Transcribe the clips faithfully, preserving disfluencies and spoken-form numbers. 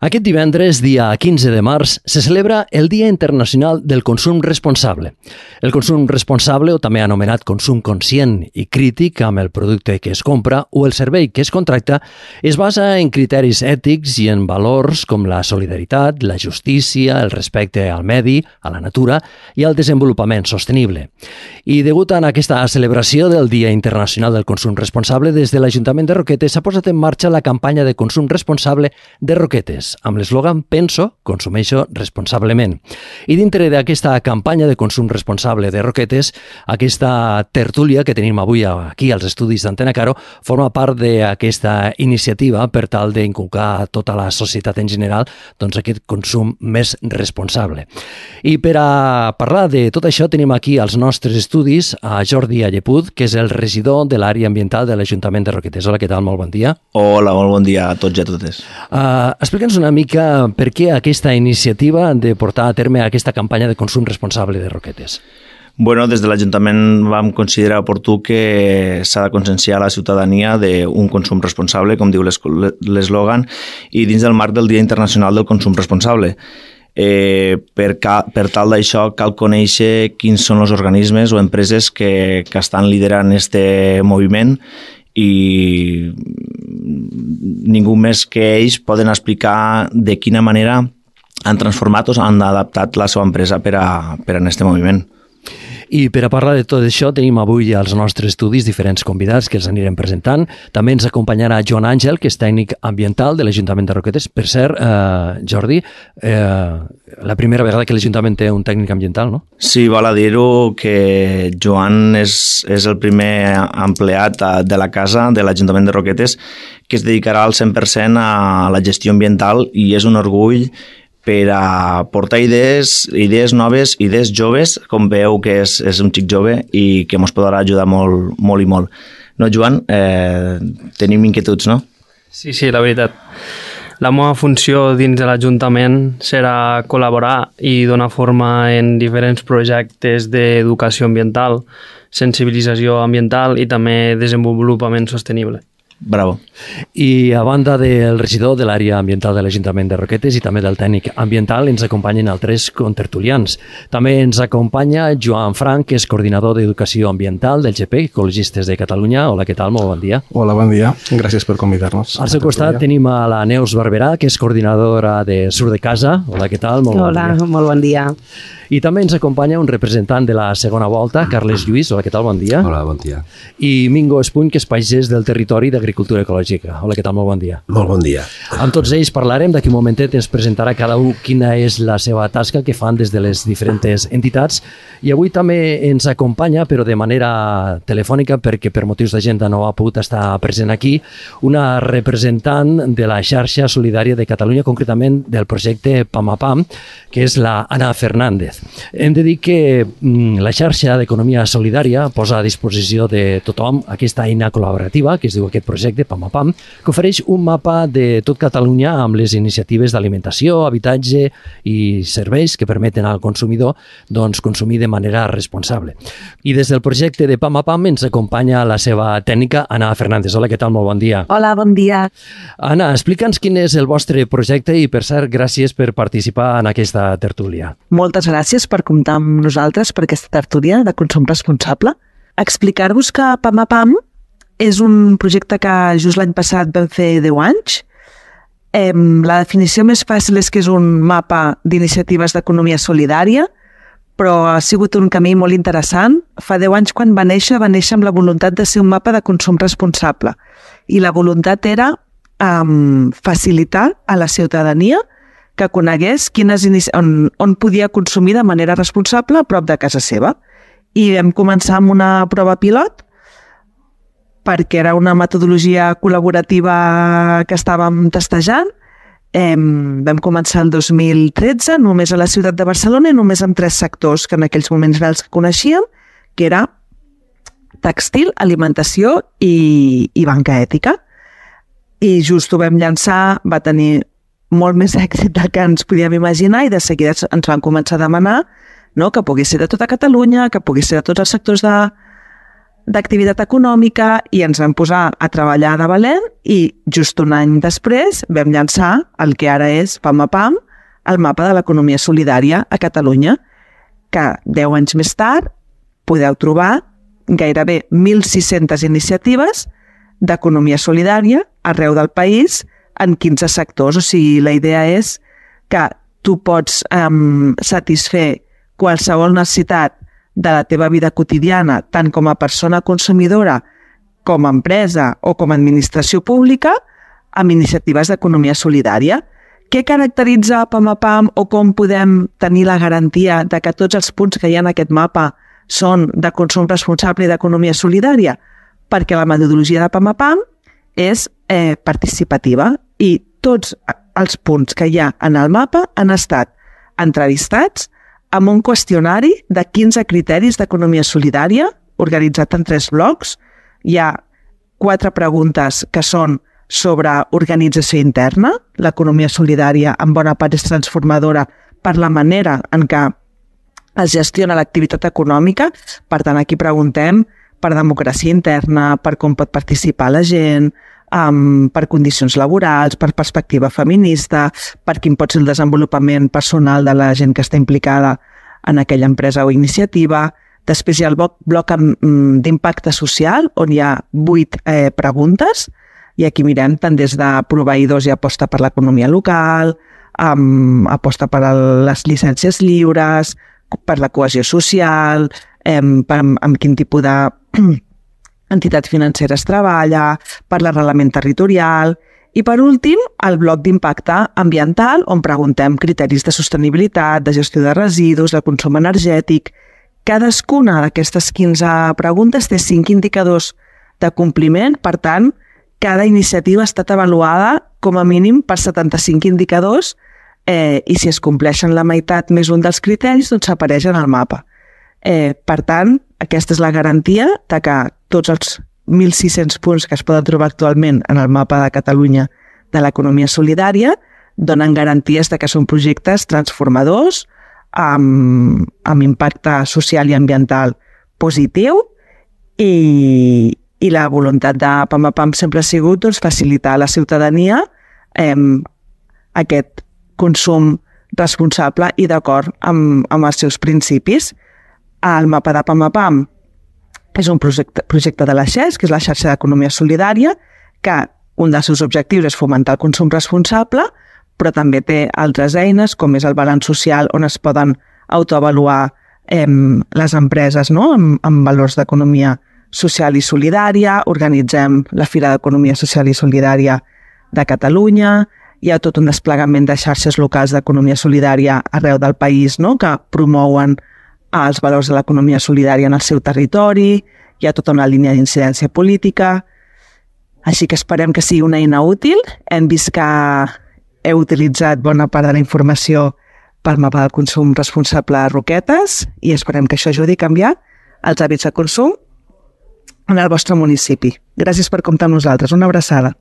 Aquest divendres, dia quinze de març, se celebra el Dia Internacional del Consum Responsable. El consum responsable, o també anomenat consum conscient i crític amb el producte que es compra o el servei que es contracta, es basa en criteris ètics i en valors com la solidaritat, la justícia, el respecte al medi, a la natura i al desenvolupament sostenible. I degut a aquesta celebració del Dia Internacional del Consum Responsable, des de l'Ajuntament de Roquetes s'ha posat en marxa la campanya de consum responsable de Roquetes, amb l'eslògan Penso, consumeixo responsablement. I dintre d'aquesta campanya de consum responsable de Roquetes, aquesta tertúlia que tenim avui aquí als estudis d'Antena Caro forma part d'aquesta iniciativa per tal d'inculcar a tota la societat en general doncs, aquest consum més responsable. I per a parlar de tot això tenim aquí als nostres estudis a Jordi Allepud, que és el regidor de l'àrea ambiental de l'Ajuntament de Roquetes. Hola, què tal? Molt bon dia. Hola, molt bon dia a tots i a totes. Uh, Explica'ns una mica per què aquesta iniciativa de portar a terme aquesta campanya de consum responsable de Roquetes. Bueno, des de l'Ajuntament vam considerar oportú que s'ha de conscienciar la ciutadania d'un consum responsable, com diu l'eslògan, i dins del marc del Dia Internacional del Consum Responsable. Eh, per, ca, per tal d'això cal conèixer quins són els organismes o empreses que, que estan liderant este moviment i ningú més que ells poden explicar de quina manera han transformat o han adaptat la seva empresa per a, per a aquest moviment. I per a parlar de tot això tenim avui als nostres estudis diferents convidats que els anirem presentant. També ens acompanyarà Joan Àngel, que és tècnic ambiental de l'Ajuntament de Roquetes. Per cert, eh, Jordi, eh, la primera vegada que l'Ajuntament té un tècnic ambiental, no? Sí, val a dir-ho que Joan és, és el primer empleat de la casa de l'Ajuntament de Roquetes que es dedicarà al cent per cent a la gestió ambiental i és un orgull per a portar idees, idees noves, idees joves, com veu que és, és un xic jove i que ens podrà ajudar molt, molt i molt. No, Joan? Eh, tenim inquietuds, no? Sí, sí, la veritat. La meva funció dins de l'Ajuntament serà col·laborar i donar forma en diferents projectes d'educació ambiental, sensibilització ambiental i també desenvolupament sostenible. Bravo. I a banda del regidor de l'àrea ambiental de l'Ajuntament de Roquetes i també del tècnic ambiental ens acompanyen altres contertulians. També ens acompanya Joan Frank, que és coordinador d'Educació Ambiental del G P, Ecologistes de Catalunya. Hola, què tal? Molt bon dia. Hola, bon dia. Gràcies per convidar-nos. Al seu costat tenim a la Neus Barberà, que és coordinadora de Sur de Casa. Hola, què tal? Molt Hola, bon dia. molt bon dia. I també ens acompanya un representant de la segona volta, Carles Lluís. Hola, què tal? Bon dia. Hola, bon dia. I Mingo Espuny, que és pagès del territori d'Agricultura Ecològica. Hola, què tal? Molt bon dia. Molt bon dia. Amb tots ells parlarem. D'aquí un momentet ens presentarà cada un quina és la seva tasca que fan des de les diferents entitats. I avui també ens acompanya, però de manera telefònica, perquè per motius d'agenda no ha pogut estar present aquí, una representant de la xarxa solidària de Catalunya, concretament del projecte Pam a Pam, que és la Anna Fernández. Hem de dir que la xarxa d'economia solidària posa a disposició de tothom aquesta eina col·laborativa, que es diu aquest projecte Pam a Pam, que ofereix un mapa de tot Catalunya amb les iniciatives d'alimentació, habitatge i serveis que permeten al consumidor doncs, consumir de manera responsable. I des del projecte de Pam a Pam ens acompanya la seva tècnica, Anna Fernández. Hola, què tal? Molt bon dia. Hola, bon dia. Anna, explica'ns quin és el vostre projecte i, per cert, gràcies per participar en aquesta tertúlia. Moltes gràcies per comptar amb nosaltres per aquesta tertúlia de consum responsable. Explicar-vos que Pam a Pam és un projecte que just l'any passat vam fer deu anys. Eh, la definició més fàcil és que és un mapa d'iniciatives d'economia solidària, però ha sigut un camí molt interessant. Fa deu anys, quan va néixer, va néixer amb la voluntat de ser un mapa de consum responsable. I la voluntat era eh, facilitar a la ciutadania que conegués quines on, on podia consumir de manera responsable a prop de casa seva. I vam començar amb una prova pilot perquè era una metodologia col·laborativa que estàvem testejant. Eh, vam començar el dos mil tretze, només a la ciutat de Barcelona i només amb tres sectors que en aquells moments era els que coneixíem, que era tèxtil, alimentació i, i banca ètica. I just ho vam llançar, va tenir molt més èxit del que ens podíem imaginar i de seguida ens van començar a demanar, no, que pogués ser de tota Catalunya, que pogués ser de tots els sectors de, d'activitat econòmica i ens vam posar a treballar de valent i just un any després vam llançar el que ara és PAMAPAM, el mapa de l'economia solidària a Catalunya, que deu anys més tard podeu trobar gairebé mil sis-centes iniciatives d'economia solidària arreu del país en quinze sectors. O sigui, la idea és que tu pots um, satisfer qualsevol necessitat de la teva vida quotidiana, tant com a persona consumidora, com a empresa o com a administració pública, amb iniciatives d'economia solidària. Què caracteritza PAMAPAM o com podem tenir la garantia de que tots els punts que hi ha en aquest mapa són de consum responsable i d'economia solidària? Perquè la metodologia de PAMAPAM és eh, participativa i tots els punts que hi ha en el mapa han estat entrevistats amb un qüestionari de quinze criteris d'economia solidària organitzat en tres blocs. Hi ha quatre preguntes que són sobre organització interna. L'economia solidària en bona part és transformadora per la manera en què es gestiona l'activitat econòmica. Per tant, aquí preguntem per democràcia interna, per com pot participar la gent, um, per condicions laborals, per perspectiva feminista, per quin pot ser el desenvolupament personal de la gent que està implicada en aquella empresa o iniciativa. Després hi ha el bloc, bloc d'impacte social, on hi ha vuit eh, preguntes, i aquí mirem tant des de proveïdors i aposta per l'economia local, um, aposta per les llicències lliures, per la cohesió social, um, per, amb quin tipus de entitats financeres treballa, per l'arrelament territorial, i per últim, el bloc d'impacte ambiental, on preguntem criteris de sostenibilitat, de gestió de residus, de consum energètic. Cadascuna d'aquestes quinze preguntes té cinc indicadors de compliment, per tant, cada iniciativa ha estat avaluada com a mínim per setanta-cinc indicadors eh, i si es compleixen la meitat més un dels criteris, doncs apareix en el mapa. Eh, per tant, aquesta és la garantia de que tots els mil sis-cents punts que es poden trobar actualment en el mapa de Catalunya de l'economia solidària donen garanties de que són projectes transformadors, amb, amb impacte social i ambiental positiu, i, i la voluntat de PAMAPAM sempre ha sigut doncs, facilitar a la ciutadania eh, aquest consum responsable i d'acord amb, amb els seus principis. El mapa de PAMAPAM és un projecte, projecte de la X E S, que és la xarxa d'economia solidària, que un dels seus objectius és fomentar el consum responsable, però també té altres eines, com és el balanç social, on es poden autoavaluar eh, les empreses, no?, amb, amb valors d'economia social i solidària. Organitzem la Fira d'Economia Social i Solidària de Catalunya. Hi ha tot un desplegament de xarxes locals d'economia solidària arreu del país, no?, que promouen els valors de l'economia solidària en el seu territori. Hi ha tota una línia d'incidència política. Així que esperem que sigui una eina útil. Hem vist que heu utilitzat bona part de la informació pel mapa del consum responsable a Roquetes i esperem que això ajudi a canviar els hàbits de consum en el vostre municipi. Gràcies per comptar amb nosaltres. Una abraçada.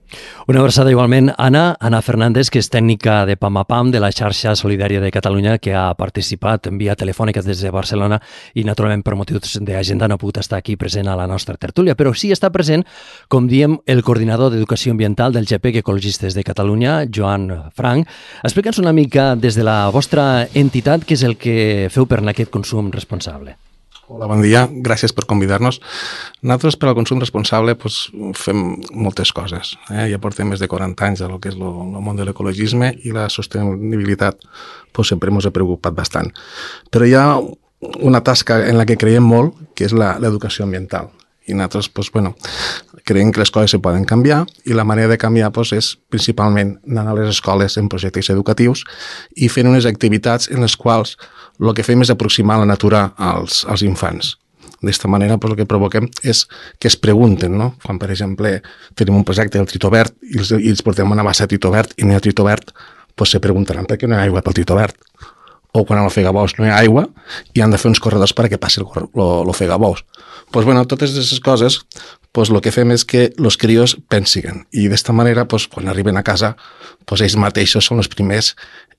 Una abraçada igualment. Anna, Anna Fernández, que és tècnica de PAMAPAM, de la xarxa solidària de Catalunya, que ha participat en via telefònica des de Barcelona i, naturalment, per motius d'agenda no ha pogut estar aquí present a la nostra tertúlia, però sí està present, com diem, el coordinador d'Educació Ambiental del G P E C Ecologistes de Catalunya, Joan Frank. Explica'ns una mica des de la vostra entitat què és el que feu per aquest consum responsable. Hola, bon dia. Gràcies per convidar-nos. Nosaltres, per al consum responsable, doncs, fem moltes coses. Eh? Ja portem més de quaranta anys del que és el món de l'ecologisme i la sostenibilitat doncs, sempre ens ha preocupat bastant. Però hi ha una tasca en la que creiem molt, que és l'educació ambiental. I nosaltres doncs, bueno, creiem que les coses se poden canviar i la manera de canviar doncs, és principalment anant a les escoles en projectes educatius i fent unes activitats en les quals el que fem és aproximar la natura als, als infants. D'esta manera, doncs, el que provoquem és que es pregunten, no? Quan, per exemple, tenim un projecte del Tritó Verd i els, i els portem una bassa de Tritó Verd i no hi ha Tritó Verd, doncs se preguntaran per què no hi ha aigua pel Tritó Verd. O quan al Fegabous no hi ha aigua i han de fer uns corredors perquè passi el Fegabous. Doncs, bueno, totes aquestes coses, doncs, el que fem és que els crios pensiguen i d'esta manera, doncs, quan arriben a casa, doncs, ells mateixos són els primers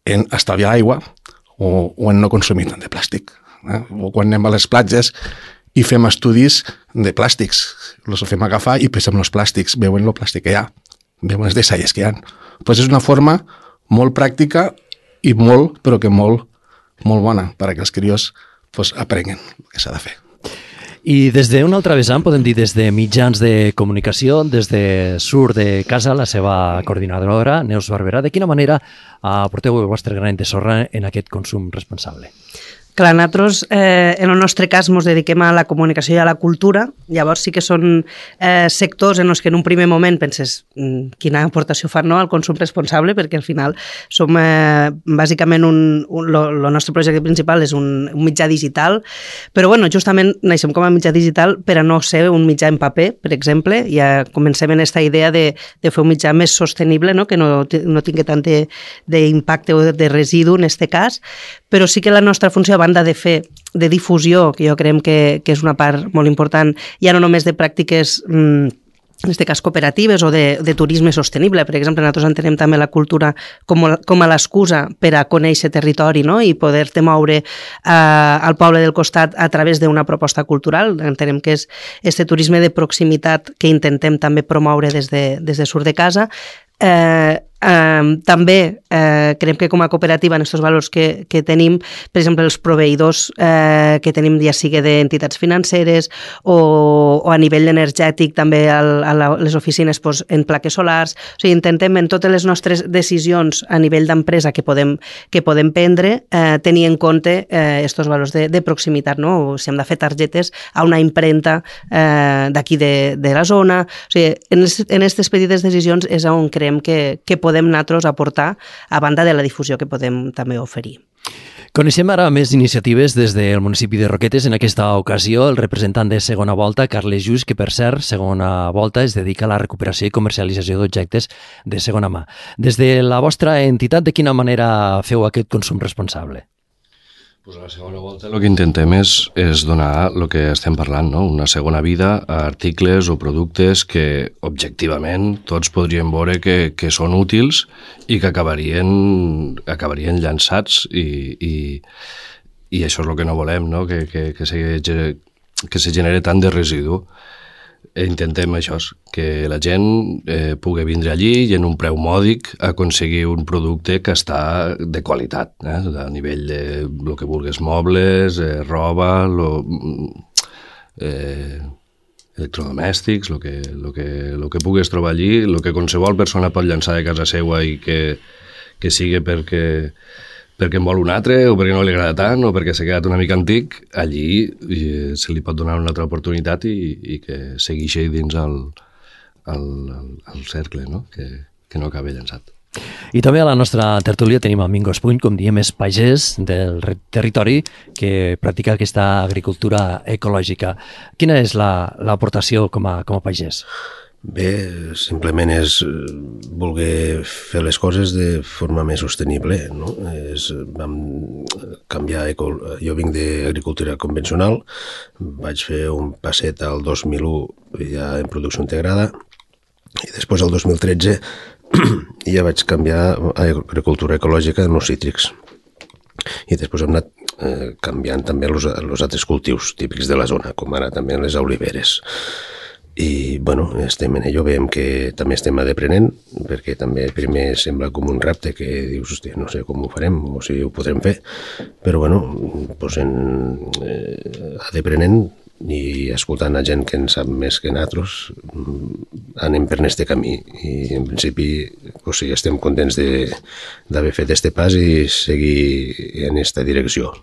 en estalviar aigua o, o en no consumir tant de plàstic. Eh? O quan anem a les platges i fem estudis de plàstics. Els fem agafar i pensem els plàstics, veuen el plàstic que hi ha, veuen les deixalles que hi ha. Pues és una forma molt pràctica i molt, però que molt, molt bona perquè els crios pues, aprenguen el que s'ha de fer. I des d'un altre vessant, podem dir des de mitjans de comunicació, des de Sur de Casa, la seva coordinadora, Neus Barberà, de quina manera aporteu el vostre granet de sorra en aquest consum responsable? Clar, nosaltres, eh, en el nostre cas, ens dediquem a la comunicació i a la cultura. Llavors sí que són eh, sectors en els que en un primer moment penses mm, quina aportació fan no, al consum responsable, perquè al final som eh, bàsicament un, un, lo, lo nostre projecte principal és un, un mitjà digital, però bueno, justament naixem com a mitjà digital per a no ser un mitjà en paper, per exemple. Ja comencem en aquesta idea de, de fer un mitjà més sostenible, no, que no, no tingui tant d'impacte o de residu en aquest cas, però sí que la nostra funció, a banda de fer de difusió, que jo creiem que, que és una part molt important, ja no només de pràctiques mmm, en aquest cas cooperatives o de, de turisme sostenible. Per exemple, nosaltres entenem també la cultura com, com a l'excusa per a conèixer territori, no? I poder-te moure eh, al poble del costat a través d'una proposta cultural. Entenem que és este turisme de proximitat que intentem també promoure des de, des de Sur de Casa. Eh, eh, també eh, creiem que com a cooperativa en aquests valors que, que tenim, per exemple els proveïdors eh, que tenim ja sigui d'entitats financeres o, o a nivell energètic també al, a la, les oficines pues, en plaques solars, o sigui, intentem en totes les nostres decisions a nivell d'empresa que podem, que podem prendre eh, tenir en compte aquests eh, valors de, de proximitat, no? O si hem de fer targetes a una impremta eh, d'aquí de, de la zona, o sigui, en aquestes petites decisions és on creiem que, que podem nosaltres aportar a banda de la difusió que podem també oferir. Coneixem ara més iniciatives des del municipi de Roquetes. En aquesta ocasió, el representant de Segona Volta, Carles Just, que per cert, Segona Volta es dedica a la recuperació i comercialització d'objectes de segona mà. Des de la vostra entitat, de quina manera feu aquest consum responsable? Pues a la segona volta el que intentem és, és donar el que estem parlant, no? Una segona vida a articles o productes que objectivament tots podríem veure que, que són útils i que acabarien, acabarien llançats i, i, i això és el que no volem, no? Que, que, que, se, que se genere tant de residu. Intentem això, que la gent eh, pugui vindre allí i en un preu mòdic aconseguir un producte que està de qualitat, eh? A nivell de lo que vulguis, mobles, eh, roba, lo, eh, electrodomèstics, el que, lo que, lo que puguis trobar allí, el que qualsevol persona pot llançar de casa seva i que, que sigui perquè... perquè en vol un altre, o perquè no li agrada tant, o perquè s'ha quedat una mica antic, allí eh, se li pot donar una altra oportunitat i, i que segueixi dins el, el, el, el cercle, no? Que, que no acabi llançat. I també a la nostra tertúlia tenim a Mingos Puny, com diem, és pagès del territori que practica aquesta agricultura ecològica. Quina és l'aportació com a, com a pagès? Bé, simplement és voler fer les coses de forma més sostenible, no? És, vam canviar, jo vinc d'agricultura convencional, vaig fer un passet al dos mil u ja en producció integrada i després al dos mil tretze ja vaig canviar a agricultura ecològica en els cítrics. I després hem anat eh, canviant també els altres cultius típics de la zona, com ara també les oliveres. I, bueno, estem en allò, veiem que també estem aprenent, perquè també primer sembla com un repte que dius, hòstia, no sé com ho farem o si ho podrem fer, però, bueno, doncs en, eh, aprenent i escoltant a gent que en sap més que nosaltres, anem per aquest camí i, en principi, o sigui, estem contents d'haver fet aquest pas i seguir en aquesta direcció.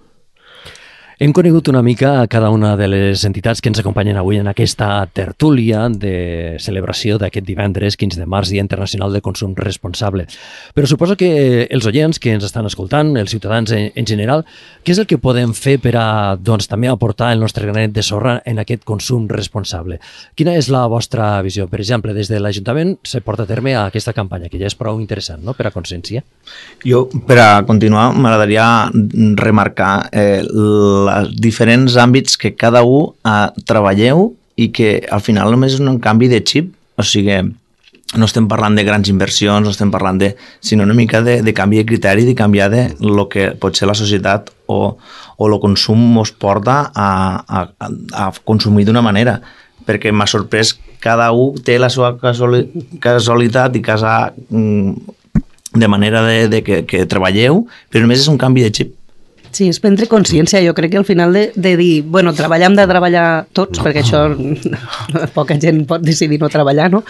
Hem conegut una mica cada una de les entitats que ens acompanyen avui en aquesta tertúlia de celebració d'aquest divendres quinze de març, Dia Internacional del Consum Responsable. Però suposo que els oients que ens estan escoltant, els ciutadans en, en general, què és el que podem fer per a doncs, també aportar el nostre granet de sorra en aquest consum responsable? Quina és la vostra visió? Per exemple, des de l'Ajuntament se porta a terme aquesta campanya, que ja és prou interessant, no?, per a consciència. Jo, per a continuar, m'agradaria remarcar eh, la els diferents àmbits que cada un eh, treballeu i que al final només és un canvi de xip. O sigui, no estem parlant de grans inversions, no estem parlant de, sinó una mica de, de canvi de criteri, de canviar de lo que pot ser la societat o, o el consum ens porta a, a, a consumir d'una manera, perquè m'ha sorprès, cada un té la seva casualitat i casa de manera de, de que, que treballeu, però només és un canvi de xip. Sí, és prendre consciència, jo crec que al final de, de dir, bueno, treballar hem de treballar tots, perquè això poca gent pot decidir no treballar, no?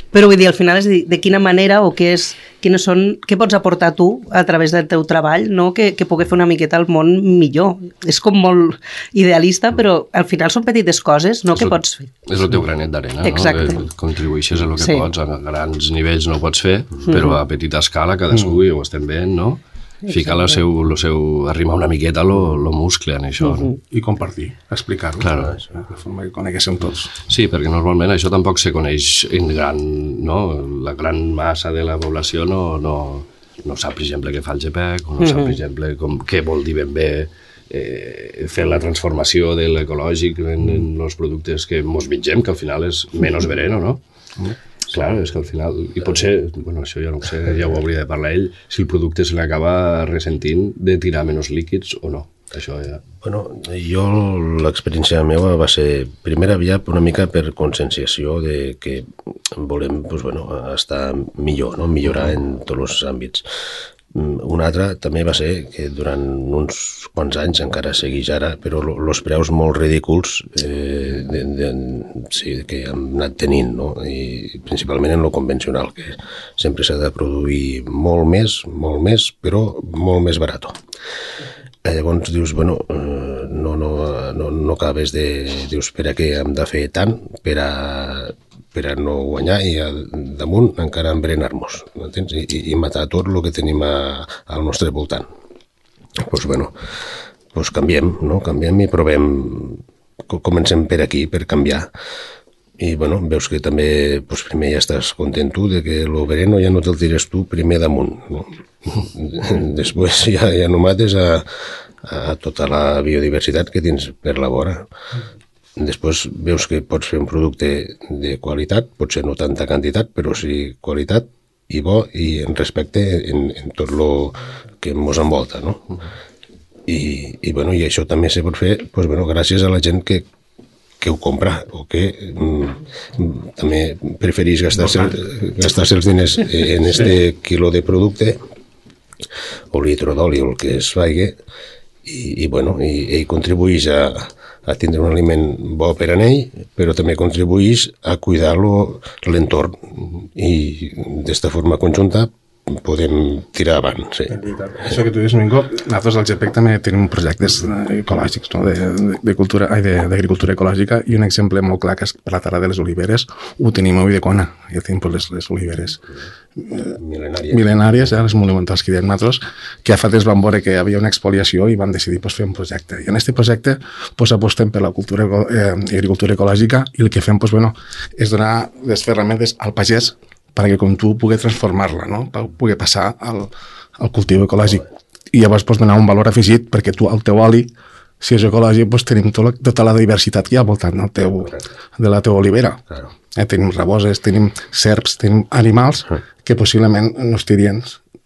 Però vull dir, al final és dir, de quina manera o què és, quines són, què pots aportar tu a través del teu treball, no? Que, que pugui fer una miqueta el món millor. És com molt idealista, però al final són petites coses, no? Que pots fer. És el teu granet d'arena, no? Contribueixes a el que sí. pots, a grans nivells no ho pots fer, però a petita escala cadascú mm. ho estem veient, no? Ficar el seu, el seu, arrimar una miqueta lo, lo muscle en això. Uh-huh. No? I compartir, explicar-ho. Claro. De forma que coneguéssim tots. Sí, perquè normalment això tampoc se coneix en gran, no? La gran massa de la població no, no, no sap, per exemple, què fa el G P E C, o no uh-huh. sap, per exemple, com, què vol dir ben bé eh, fer la transformació de l'ecològic en, en els productes que mos mengem, que al final és menys vereno, no? Uh-huh. Clar, és que al final, i potser, bueno, això ja no ho sé, ja ho hauria de parlar ell, si el producte se l'acaba ressentint de tirar menys líquids o no. Això ja... Bueno, jo l'experiència meva va ser, primera via una mica per conscienciació de que volem pues, bueno, estar millor, no? Millorar en tots els àmbits. Una altra també va ser que durant uns quants anys, encara segueix ara, però els preus molt ridículs eh, de, de, sí, que hem anat tenint, no? I principalment en lo convencional, que sempre s'ha de produir molt més, molt més, però molt més barat. Eh, llavors dius, bueno, eh, no, no, no, no acabes de... Dius, per a què hem de fer tant per a... per a no guanyar i a, damunt encara embrenar-nos, entens? I, i matar tot el que tenim a, al nostre voltant. Doncs, pues, bueno, pues canviem, no? Canviem i provem, comencem per aquí, per canviar. I, bueno, veus que també, pues, primer ja estàs content tu de que el vereno ja no te'l tires tu primer damunt, no? Després ja, ja no mates a, a tota la biodiversitat que tens per la vora. Després veus que pots fer un producte de qualitat, potser no tanta quantitat, però sí qualitat i bo i en respecte en, en tot el que ens envolta, no? I, i, bueno, i això també se pot fer pues, bueno, gràcies a la gent que, que ho compra o que mm, també preferís gastar-se gastar els diners en este quilo de producte o litre d'oli o el que es faci i, i, bueno, i, i contribueix a a tindre un aliment bo per a ell, però també contribueix a cuidar l'entorn i d'esta forma conjunta podem tirar avant. Sí. Això que tu dius, Mingo, nosaltres al G P E C també tenim projectes ecològics, no? de, de, de cultura, ai, d'agricultura ecològica, i un exemple molt clar que és per la Terra de les Oliveres, ho tenim a Ulldecona, ja tenim les, les oliveres mil·lenàries, mil·lenàries eh, les monumentals que diem nosaltres, que a fa temps van veure que hi havia una expoliació i van decidir pues, fer un projecte. I en aquest projecte pues, apostem per la cultura, eh, agricultura ecològica i el que fem pues, bueno, és donar les ferramentes al pagès perquè com tu pugui transformar-la, no? Pugui passar al, al cultiu ecològic. I llavors pots donar un valor afegit perquè tu, el teu oli, si és ecològic, doncs tenim tota, tota la diversitat que hi ha al voltant del teu, de la teva olivera. Claro. Eh, tenim raboses, tenim serps, tenim animals que possiblement no estirien,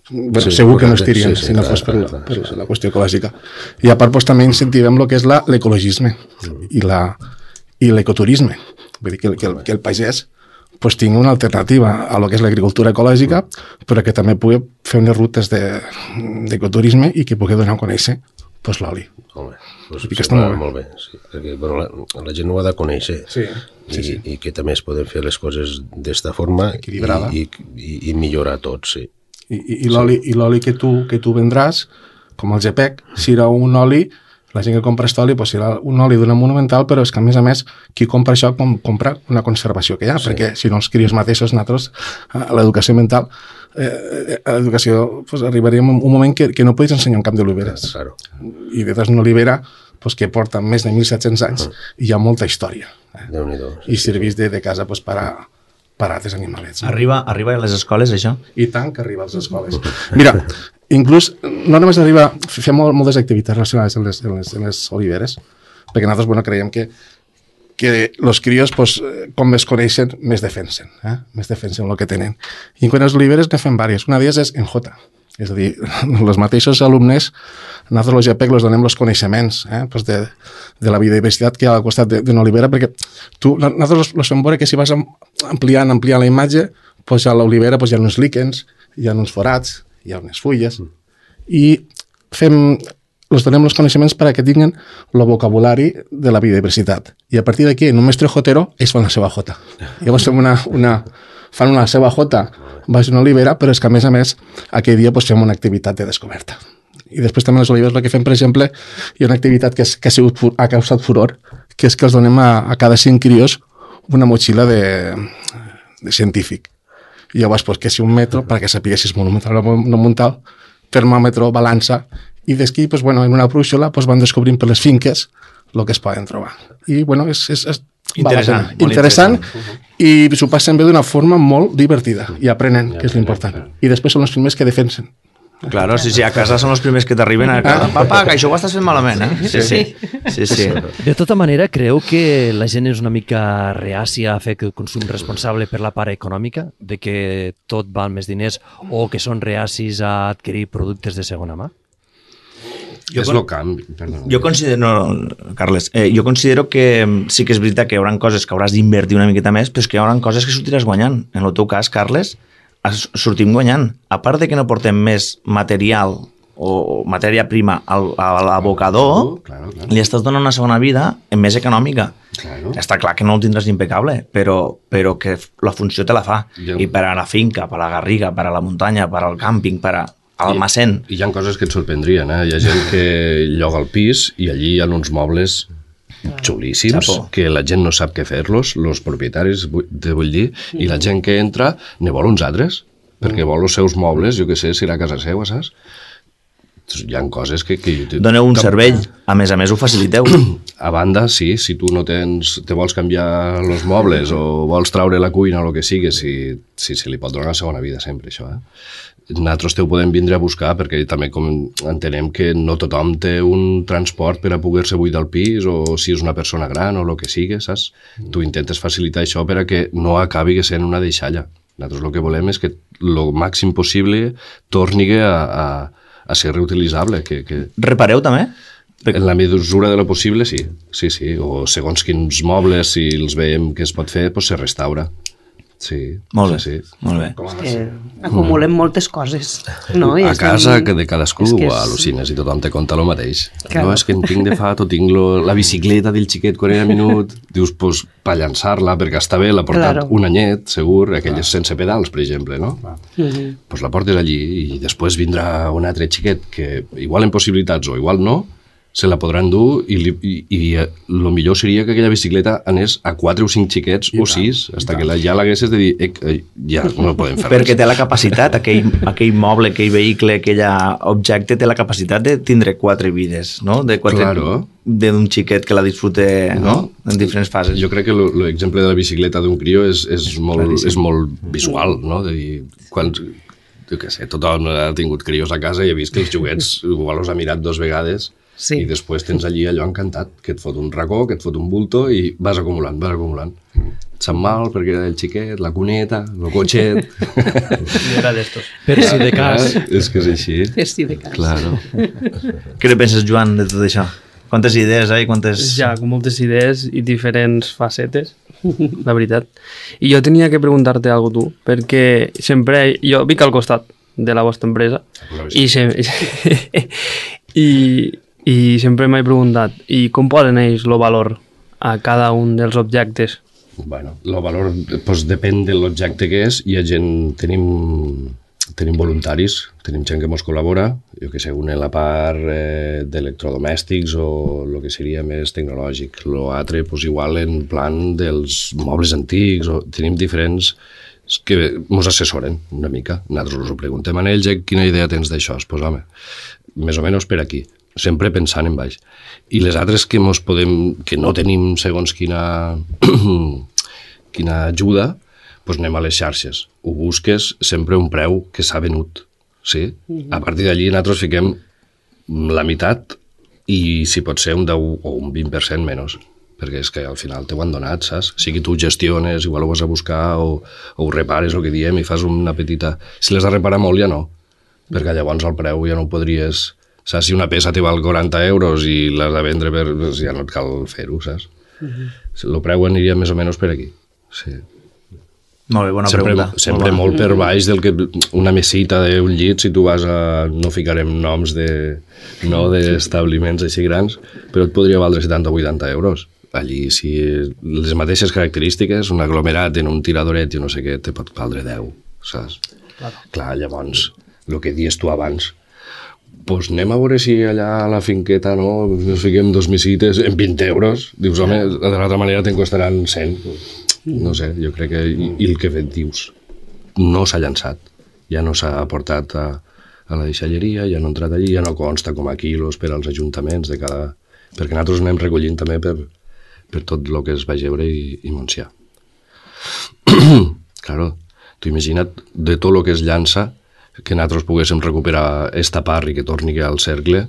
bueno, sí, segur que no estirien sí, sí, si no clar, fos per, clar, per sí, sí. la qüestió ecològica. I a part doncs, també incentivem el que és l'ecologisme mm. i l'ecoturisme. Vull dir que, que, el, que el pagès pues, tingui una alternativa a lo que és l'agricultura ecològica, però que també pugui fer unes rutes d'ecoturisme de, i que pugui donar a conèixer pues, l'oli. Molt bé. Pues I que està molt bé. Molt bé sí. Perquè, bueno, la, la gent ho ha de conèixer sí, sí, i, sí. i que també es poden fer les coses d'esta forma i, i, i, i millorar tot, sí. I, i, i l'oli sí. que, tu, que tu vendràs, com el G P E C, serà un oli, la gent que compra aquest oli pues, serà un oli d'una monumental, però és que a més a més qui compra això com, compra una conservació que hi ha, sí. perquè si no els crios mateixos nosaltres a l'educació mental eh, a l'educació pues, arribaríem a un moment que, que no podis ensenyar un camp d'oliveres claro. i detrás d'una olivera pues, que porta més de mil set-cents anys uh-huh. i hi ha molta història eh? sí, i serveix de, de casa pues, per a per a altres animalets. No? Arriba, arriba a les escoles, això? I tant que arriba a les escoles. Mira, inclús, no només arriba, fem molt, moltes activitats relacionades amb les, amb les, amb les oliveres, perquè nosaltres, bueno, creiem que que els crios, pues, com més coneixen, més defensen, eh? més defensen el que tenen. I en quant als oliveres ne fem diverses. Una d'elles és en J, és a dir, els mateixos alumnes, nosaltres als G P E C els donem els coneixements eh? pues de, de la biodiversitat que hi ha al costat d'una olivera, perquè tu, nosaltres els fem veure que si vas ampliant, ampliant la imatge, pues a l'olivera pues, hi ha uns líquens, hi ha uns forats, hi ha unes fulles, i fem... els donem els coneixements perquè tinguin el vocabulari de la biodiversitat. I a partir d'aquí, en un mestre jotero, ells fan la seva jota. Llavors fem una, una, fan una seva jota baix una olivera, però és que, a més a més, aquell dia pues, fem una activitat de descoberta. I després també les oliveres el que fem, per exemple, hi ha una activitat que, és, que ha, sigut, ha causat furor, que és que els donem a, a cada cinc crios una motxilla de, de científic. I llavors, pues, que si un metro, perquè sapigués si és monumental o no monumental, termòmetre, balança, i d'aquí, pues, bueno, en una brúixola pues, van descobrint per les finques el que es poden trobar. I, bueno, és, és, és interessant, interessant, interessant i s'ho passen bé d'una forma molt divertida i aprenen, que és l'important. I després són els primers que defensen. Claro, sí, sí, a casa són els primers que t'arriben a casa. Papa, que això ho estàs fent malament, eh? Sí, sí. sí, sí. De tota manera, creu que la gent és una mica reàcia a fer el consum responsable per la part econòmica, de que tot val més diners, o que són reacis a adquirir productes de segona mà? Jo és el canvi, perdó. Jo considero, no, Carles, eh, jo considero que sí que és veritat que hi haurà coses que hauràs d'invertir una miqueta més, però és que hi haurà coses que sortiràs guanyant. En el teu cas, Carles, sortim guanyant. A part de que no portem més material o matèria prima al, a l'abocador, claro, claro. li estàs donant una segona vida més econòmica. Claro. Està clar que no ho tindràs impecable, però, però que la funció te la fa. Jo... I per a la finca, per a la garriga, per a la muntanya, per al càmping, per a almacén. I, I hi ha coses que et sorprendrien, eh? Hi ha gent que lloga el pis i allí hi ha uns mobles xulíssims, Chapo. Que la gent no sap què fer-los, els propietaris, te vull dir, mm. i la gent que entra ne vol uns altres, perquè mm. vol els seus mobles, jo què sé, si era a casa seva, saps? Hi ha coses que... que Doneu un cervell, a més a més ho faciliteu. A banda, sí, si tu no tens, te vols canviar els mobles o vols traure la cuina o el que sigui, si, si se li pot donar una segona vida sempre, això, eh? Nosaltres te ho podem vindre a buscar perquè també com entenem que no tothom té un transport per a poder-se buidar el pis o si és una persona gran o el que sigui, saps? Mm. Tu intentes facilitar això per a que no acabi sent una deixalla. Nosaltres el que volem és que el màxim possible torni a, a, a ser reutilitzable. Que, que... Repareu també? En la mesura de lo possible, sí. Sí, sí. O segons quins mobles, si els veiem que es pot fer, doncs se restaura. Sí, molt bé, sí, sí. Molt bé. És que acumulem mm. moltes coses, no? I a casa estem... que de cadascú és que és... al·lucines i tothom te conta el mateix. Claro. No, és que en tinc de fat o tinc lo, la bicicleta del xiquet quan era minut, dius, pues, per llançar-la, perquè està bé, l'ha portat claro. un anyet, segur, aquelles sense pedals, per exemple, no? Mm-hmm. Pues la portes allí i després vindrà un altre xiquet que igual en possibilitats o igual no, se la podran dur i, li, i, i el millor seria que aquella bicicleta anés a quatre o cinc xiquets I o sis, fins que la, ja l'haguessis de dir eh, eh, ja no podem fer perquè res. Té la capacitat, aquell, aquell moble, aquell vehicle, aquell objecte té la capacitat de tindre quatre vides, no? De quatre, claro. d'un xiquet que la disfrute no? en diferents fases. Jo crec que l'exemple de la bicicleta d'un crió és, és, molt, és molt visual, no? De dir, quan, jo què sé, tothom ha tingut crios a casa i ha vist que els joguets igual els ha mirat dos vegades. Sí. I després tens allí allò encantat, que et fot un racó, que et fot un bulto i vas acumulant, vas acumulant. Et sap mal perquè era el xiquet, la cuneta, el cotxet... Era d'estos. Per si de cas. Ah, és que és així. Per si de cas. Claro. Què ne penses, Joan, de tot això? Quantes idees, eh? Quantes... Ja, com moltes idees i diferents facetes, la veritat. I jo tenia que preguntar-te alguna cosa, tu, perquè sempre... Jo vic al costat de la vostra empresa i sempre... I... I sempre m'he preguntat, i com poden ells el valor a cada un dels objectes? Bueno, el valor pues, depèn de l'objecte que és. Hi ha gent, tenim, tenim voluntaris, tenim gent que ens col·labora, jo que sé, una en la part eh, d'electrodomèstics o el que seria més tecnològic. L'altre, pues, igual en plan dels mobles antics, o tenim diferents que ens assessoren una mica. Nosaltres us ho preguntem a ells, eh, quina idea tens d'això? Pues, home, més o menys per aquí. Sempre pensant en baix. I les altres que, mos podem, que no tenim segons quina, quina ajuda, doncs anem a les xarxes. Ho busques sempre un preu que s'ha venut. Sí? A partir d'allí nosaltres fiquem la meitat i si pot ser un deu o un vint per cent menys. perquè és que al final t'ho han donat, saps? Sigui tu gestiones, igual ho vas a buscar o, o ho repares, el que diem, i fas una petita... Si l'has de reparar molt ja no, perquè llavors el preu ja no ho podries... Saps? Si una peça te val quaranta euros i l'has de vendre, per... doncs ja no et cal fer-ho, saps? Uh-huh. El preu aniria més o menys per aquí. Sí. Molt bé, bona sempre, pregunta. Sempre molt, molt per baix del que una mesita d'un llit, si tu vas a... no ficarem noms de no d'establiments així grans, però et podria valdre setanta o vuitanta euros. Allí, si les mateixes característiques, un aglomerat en un tiradoret i no sé què, te pot valdre deu, saps? Claro. Clar, llavors, el que dius tu abans, doncs anem a veure si allà a la finqueta no, ens fiquem dos misites en vint euros. Dius, home, de l'altra manera te'n costaran cent. No sé, jo crec que... I, i el que dius, no s'ha llançat. Ja no s'ha aportat a, a la deixalleria, ja no ha entrat allí, ja no consta com a quilos per als ajuntaments de cada... Perquè nosaltres anem recollint també per, per tot el que és Baix Ebre i, i Montsià. Claro, tu imagina't de tot el que es llança que nosaltres poguéssim recuperar esta part i que torni al cercle,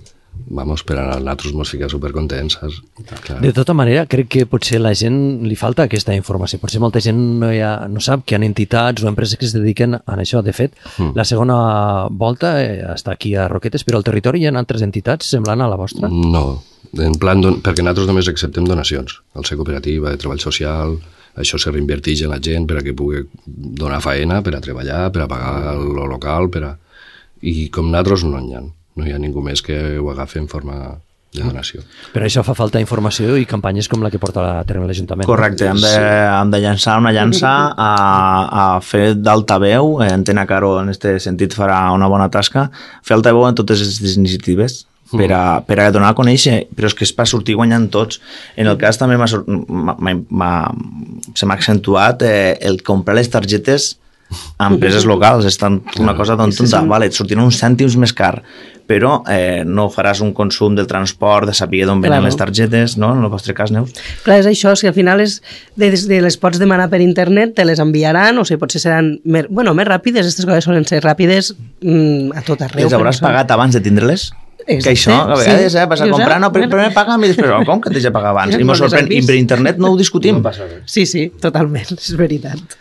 vamos, per a nosaltres mos ficar supercontents, saps? Clar. De tota manera, crec que potser a la gent li falta aquesta informació. Potser molta gent no, ha, no sap que hi ha entitats o empreses que es dediquen a això. De fet, mm. la segona volta eh, està aquí a Roquetes, però al territori hi ha altres entitats semblant a la vostra? No, en plan, don... perquè nosaltres només acceptem donacions. Al ser cooperativa de treball social, això se reinverteix en la gent per a que pugui donar faena, per a treballar, per a pagar el local, per a... I com nosaltres no hi ha. No hi ha ningú més que ho agafi en forma de donació. Per això fa falta informació i campanyes com la que porta a terme l'Ajuntament. Correcte, hem de, hem de llançar una llança a, a fer d'altaveu, Antena Caro en aquest sentit farà una bona tasca, fer altaveu en totes aquestes iniciatives, per a, per a donar a conèixer, però és que és per sortir guanyant tots. En el cas també m'ha, m'ha, m'ha, se m'ha accentuat eh, el comprar les targetes a empreses locals, és tant una cosa tan tonta, vale, et sortirà uns cèntims més car, però eh, no faràs un consum del transport, de saber d'on venen claro. les targetes, no? En el vostre cas, Neus. Clar, és això, si al final és de, de les pots demanar per internet, te les enviaran, o sigui, potser seran més, bueno, més ràpides, aquestes coses solen ser ràpides mm, a tot arreu. Les hauràs pagat abans de tindre-les? Exacte, que això, a vegades, sí. eh, vas a comprar, no, primer paga'm i després, oh, com que t'he de pagar abans? I m'ho sorprèn, i per internet no ho discutim. No sí, sí, totalment, és veritat.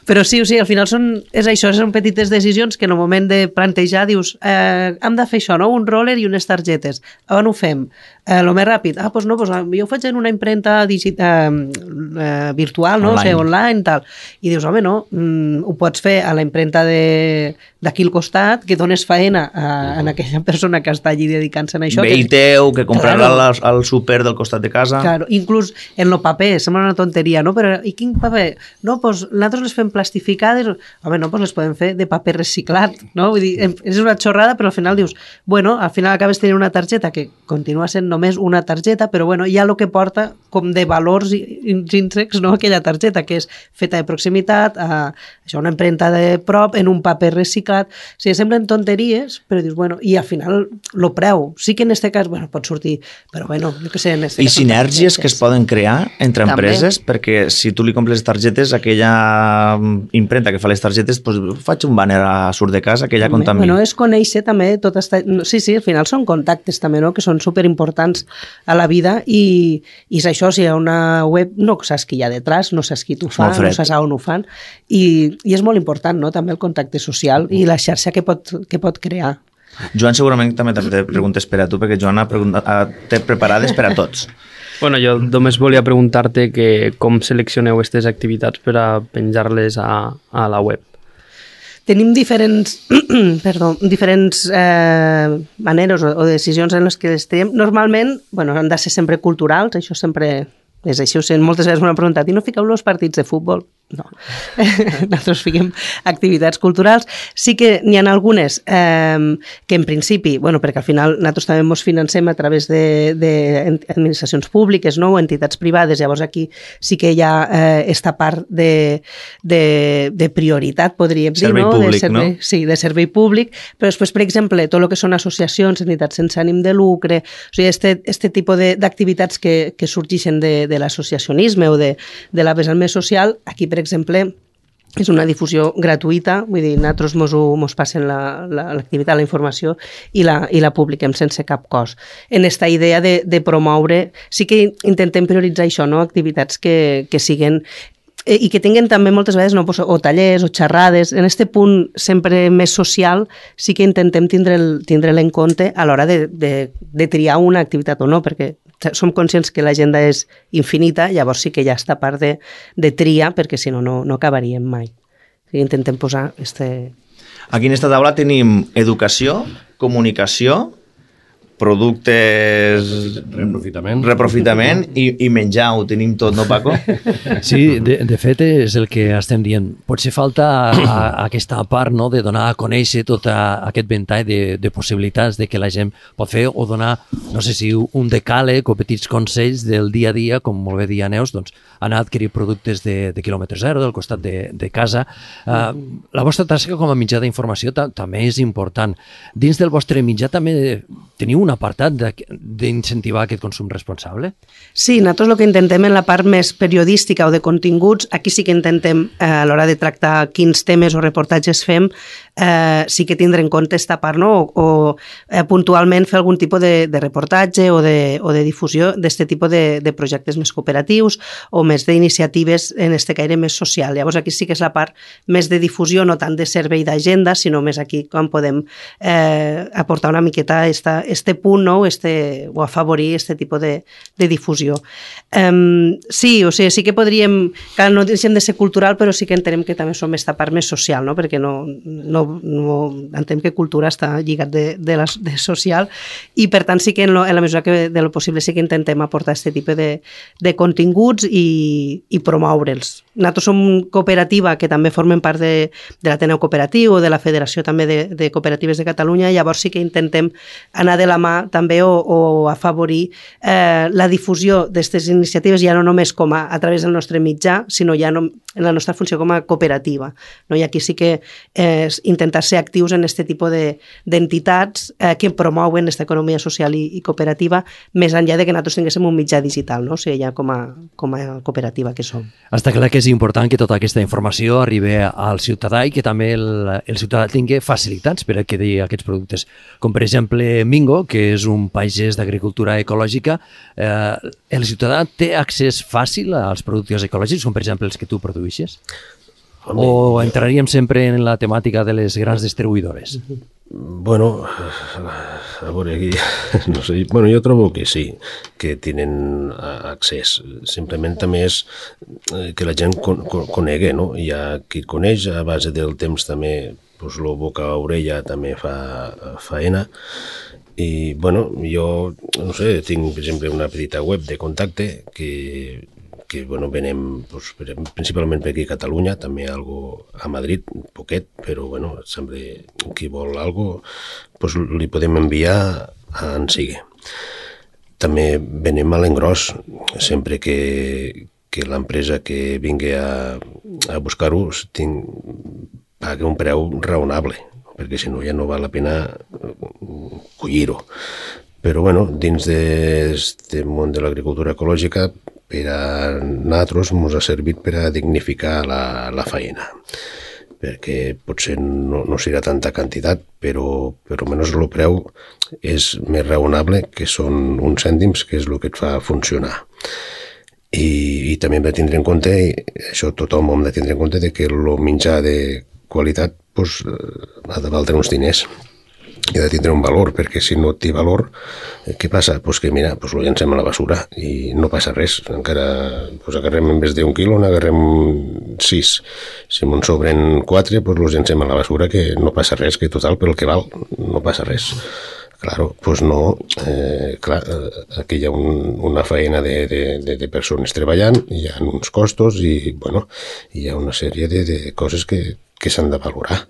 Però sí, o sigui, al final són, és això, són petites decisions que en el moment de plantejar dius, eh, hem de fer això, no? Un roller i unes targetes. On ho fem? Eh, lo més ràpid. Ah, doncs no, doncs jo ho faig en una impremta digital, eh, virtual, no? Online. O sigui, online, tal. I dius, home, no, mm, ho pots fer a la impremta d'aquí al costat, que dones faena a, a aquella persona que està allí dedicant-se a això. Veí que... teu, que comprarà claro. al, al súper del costat de casa. Claro, inclús en lo paper, sembla una tonteria, no? Però i quin paper? No, doncs nosaltres les fem plastificades, home, no, doncs les podem fer de paper reciclat, no? Vull dir, és una xorrada, però al final dius, bueno, al final acabes tenint una targeta que continua sent només una targeta, però bueno, hi ha el que porta com de valors intrínsecs, no? Aquella targeta, que és feta de proximitat, a, això, una empremta de prop, en un paper reciclat, o sigui, semblen tonteries, però dius, bueno, i al final lo preu. Sí que en aquest cas, bueno, pot sortir, però bueno, jo què sé, en este I cas... I sinergies que es poden crear entre també. Empreses, perquè si tu li compres les targetes, aquella impremta que fa les targetes, doncs faig un banner a surt de casa que ja compta amb mi. Bueno, és conèixer també tot esta... Sí, sí, al final són contactes també, no?, que són superimportants a la vida i, i és això, si hi ha una web, no saps qui hi ha detrás, no saps qui t'ho fa, no saps on ho fan, i, i és molt important, no?, també el contacte social i la xarxa que pot, que pot crear. Joan segurament també té preguntes per a tu, perquè Joan ha té preparades per a tots. Bueno, jo només volia preguntar-te que com seleccioneu aquestes activitats per a penjar-les a, a la web. Tenim diferents, perdó, diferents eh, maneres o, o decisions en les que les tenim. Normalment, bueno, han de ser sempre culturals, això sempre és així. Moltes vegades m'han preguntat, i no fiqueu els partits de futbol? No, nosaltres fiquem activitats culturals. Sí que n'hi ha algunes eh, que en principi, bueno, perquè al final nosaltres també ens financem a través d'administracions públiques, no?, o entitats privades, llavors aquí sí que hi ha eh, esta part de, de, de prioritat, podríem dir, servei no? Públic, de servei, no? Sí, de servei públic, però després, per exemple, tot el que són associacions, entitats sense ànim de lucre, o sigui, este, este tipus d'activitats que, que sorgeixen de, de l'associacionisme o de, de la vessant més social, aquí, per exemple, és una difusió gratuïta, vull dir, nosaltres mos, mos passen l'activitat, la, la, la informació i la, i la publiquem sense cap cost. En esta idea de, de promoure, sí que intentem prioritzar això, no? Activitats que, que siguen i que tinguin també moltes vegades no, o tallers o xerrades. En aquest punt sempre més social sí que intentem tindre'l tindre en compte a l'hora de, de, de triar una activitat o no, perquè som conscients que l'agenda és infinita, llavors sí que hi ha aquesta part de, de tria, perquè si no, no, no acabaríem mai. O sigui, intentem posar... Este... Aquí en aquesta taula tenim educació, comunicació, productes... Reprofitament. Reprofitament i, i menjar, ho tenim tot, no, Paco? Sí, de, de fet és el que estem dient. Potser falta a, a aquesta part, no?, de donar a conèixer tot a, aquest ventall de, de possibilitats de que la gent pot fer o donar, no sé si un decàleg o petits consells del dia a dia, com molt bé dia Neus, doncs anar a adquirir productes de, de quilòmetre zero, del costat de, de casa. Uh, la vostra tasca com a mitjà d'informació ta, també és important. Dins del vostre mitjà també teniu un apartat d'incentivar aquest consum responsable? Sí, nosaltres el que intentem en la part més periodística o de continguts, aquí sí que intentem eh, a l'hora de tractar quins temes o reportatges fem, eh, sí que tindre en compte esta part, no? o, o eh, puntualment fer algun tipus de, de reportatge o de, o de difusió d'aquest tipus de, de projectes més cooperatius o més d'iniciatives en este caire més social. Llavors aquí sí que és la part més de difusió, no tant de servei d'agenda, sinó més aquí com podem eh, aportar una miqueta esta, este punt, no? este, o afavorir este tipus de, de difusió. Um, sí, o sigui, sí que podríem, clar, no deixem de ser cultural, però sí que entenem que també som esta part més social, no? Perquè no, no, no entenem que cultura està lligat de, de, la, de social i per tant sí que en, lo, en la mesura que de lo possible sí que intentem aportar aquest tipus de, de continguts i, i promoure'ls. Nosaltres som cooperativa que també formem part de, de l'Ateneu Cooperatiu o de la Federació també de, de Cooperatives de Catalunya, llavors sí que intentem anar de la mà també o, o afavorir eh, la difusió d'aquestes iniciatives ja no només com a, a través del nostre mitjà, sinó ja no, en la nostra funció com a cooperativa. No? I aquí sí que eh, intentar ser actius en aquest tipus d'entitats de, eh, que promouen aquesta economia social i, i cooperativa més enllà de que nosaltres tinguéssim un mitjà digital, no? O sigui, ja com a, com a cooperativa que som. Està clar que és important que tota aquesta informació arribi al ciutadà i que també el, el ciutadà tingui facilitats per adquirir aquests productes. Com per exemple Mingo, que és un pagès d'agricultura ecològica, eh, el ciutadà té accés fàcil als productes ecològics, com per exemple els que tu produeixes? O entraríem sempre en la temàtica de les grans distribuïdores? Bueno, a veure, aquí, no sé, bueno, jo trobo que sí, que tenen accés. Simplement també és que la gent con, con, conegui, no? Hi ha qui coneix, a base del temps també, doncs, lo boca a orella també fa faena. I, bueno, jo, no sé, tinc, per exemple, una petita web de contacte que, que bueno, venem pues, principalment per aquí a Catalunya, també algo a Madrid, poquet, però, bueno, sempre qui vol algo, pues, li podem enviar a en sigui. També venem a l'engròs, sempre que, que l'empresa que vingui a, a buscar-ho pagui un preu raonable, perquè si no ja no val la pena collir-ho. Però, bueno, dins d'aquest món de l'agricultura ecològica, per a nosaltres ens ha servit per a dignificar la, la feina, perquè potser no, no serà tanta quantitat, però, però almenys el preu és més raonable, que són uns cèntims, que és el que et fa funcionar. I, i també hem de tindre en compte, això tothom hem de tindre en compte, de que el menjar de qualitat pues, ha de valdre uns diners i ha de tindre un valor, perquè si no té valor, què passa? Pues que mira, pues lo llancem a la basura i no passa res. Encara pues agarrem en vez d'un quilo, n'agarrem sis. Si me'n sobren quatre, pues los llancem a la basura, que no passa res, que total, per el que val, no passa res. Claro, pues no, eh, clar, aquí hi ha un, una feina de, de, de, de persones treballant, hi ha uns costos i, bueno, hi ha una sèrie de, de coses que, que s'han de valorar.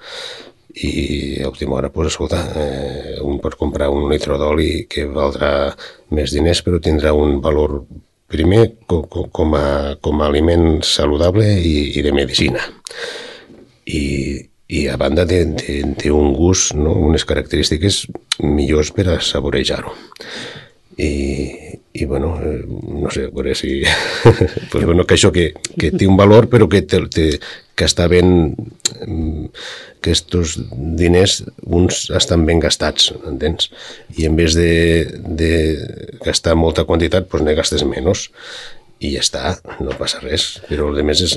I a última hora, pues, escolta, eh, un pot comprar un litre d'oli que valdrà més diners, però tindrà un valor primer com, com, a, com a aliment saludable i, i de medicina. I, i a banda té un gust, no? Unes característiques millors per a saborejar-ho. i, i bueno, eh, no sé, a veure si... pues, bueno, que això que, que té un valor, però que, te, te, que està ben... que estos diners, uns estan ben gastats, entens? I en vez de, de gastar molta quantitat, doncs ne gastes menys. I ja està, no passa res. Però el més és,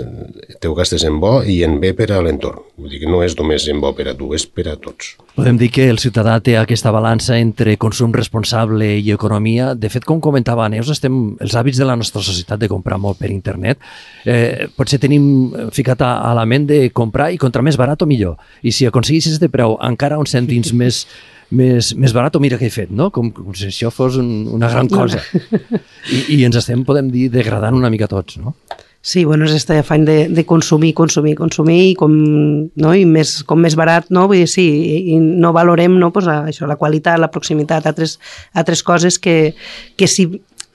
teu gastes en bo i en bé per a l'entorn. Vull dir que no és només en bo per a tu, és per a tots. Podem dir que el ciutadà té aquesta balança entre consum responsable i economia. De fet, com comentava Neus, estem, els hàbits de la nostra societat de comprar molt per internet, eh, potser tenim ficat a, a la ment de comprar i contra més barat o millor. I si aconseguissis de preu encara uns cèntims més més, més barat, o mira què he fet, no? Com, com si això fos un, una gran cosa. I, I ens estem, podem dir, degradant una mica tots, no? Sí, bueno, és aquest afany de, de consumir, consumir, consumir, i com, no? I més, com més barat, no? Vull dir, sí, i, i no valorem, no? Pues això, la qualitat, la proximitat, altres, altres coses que, que si...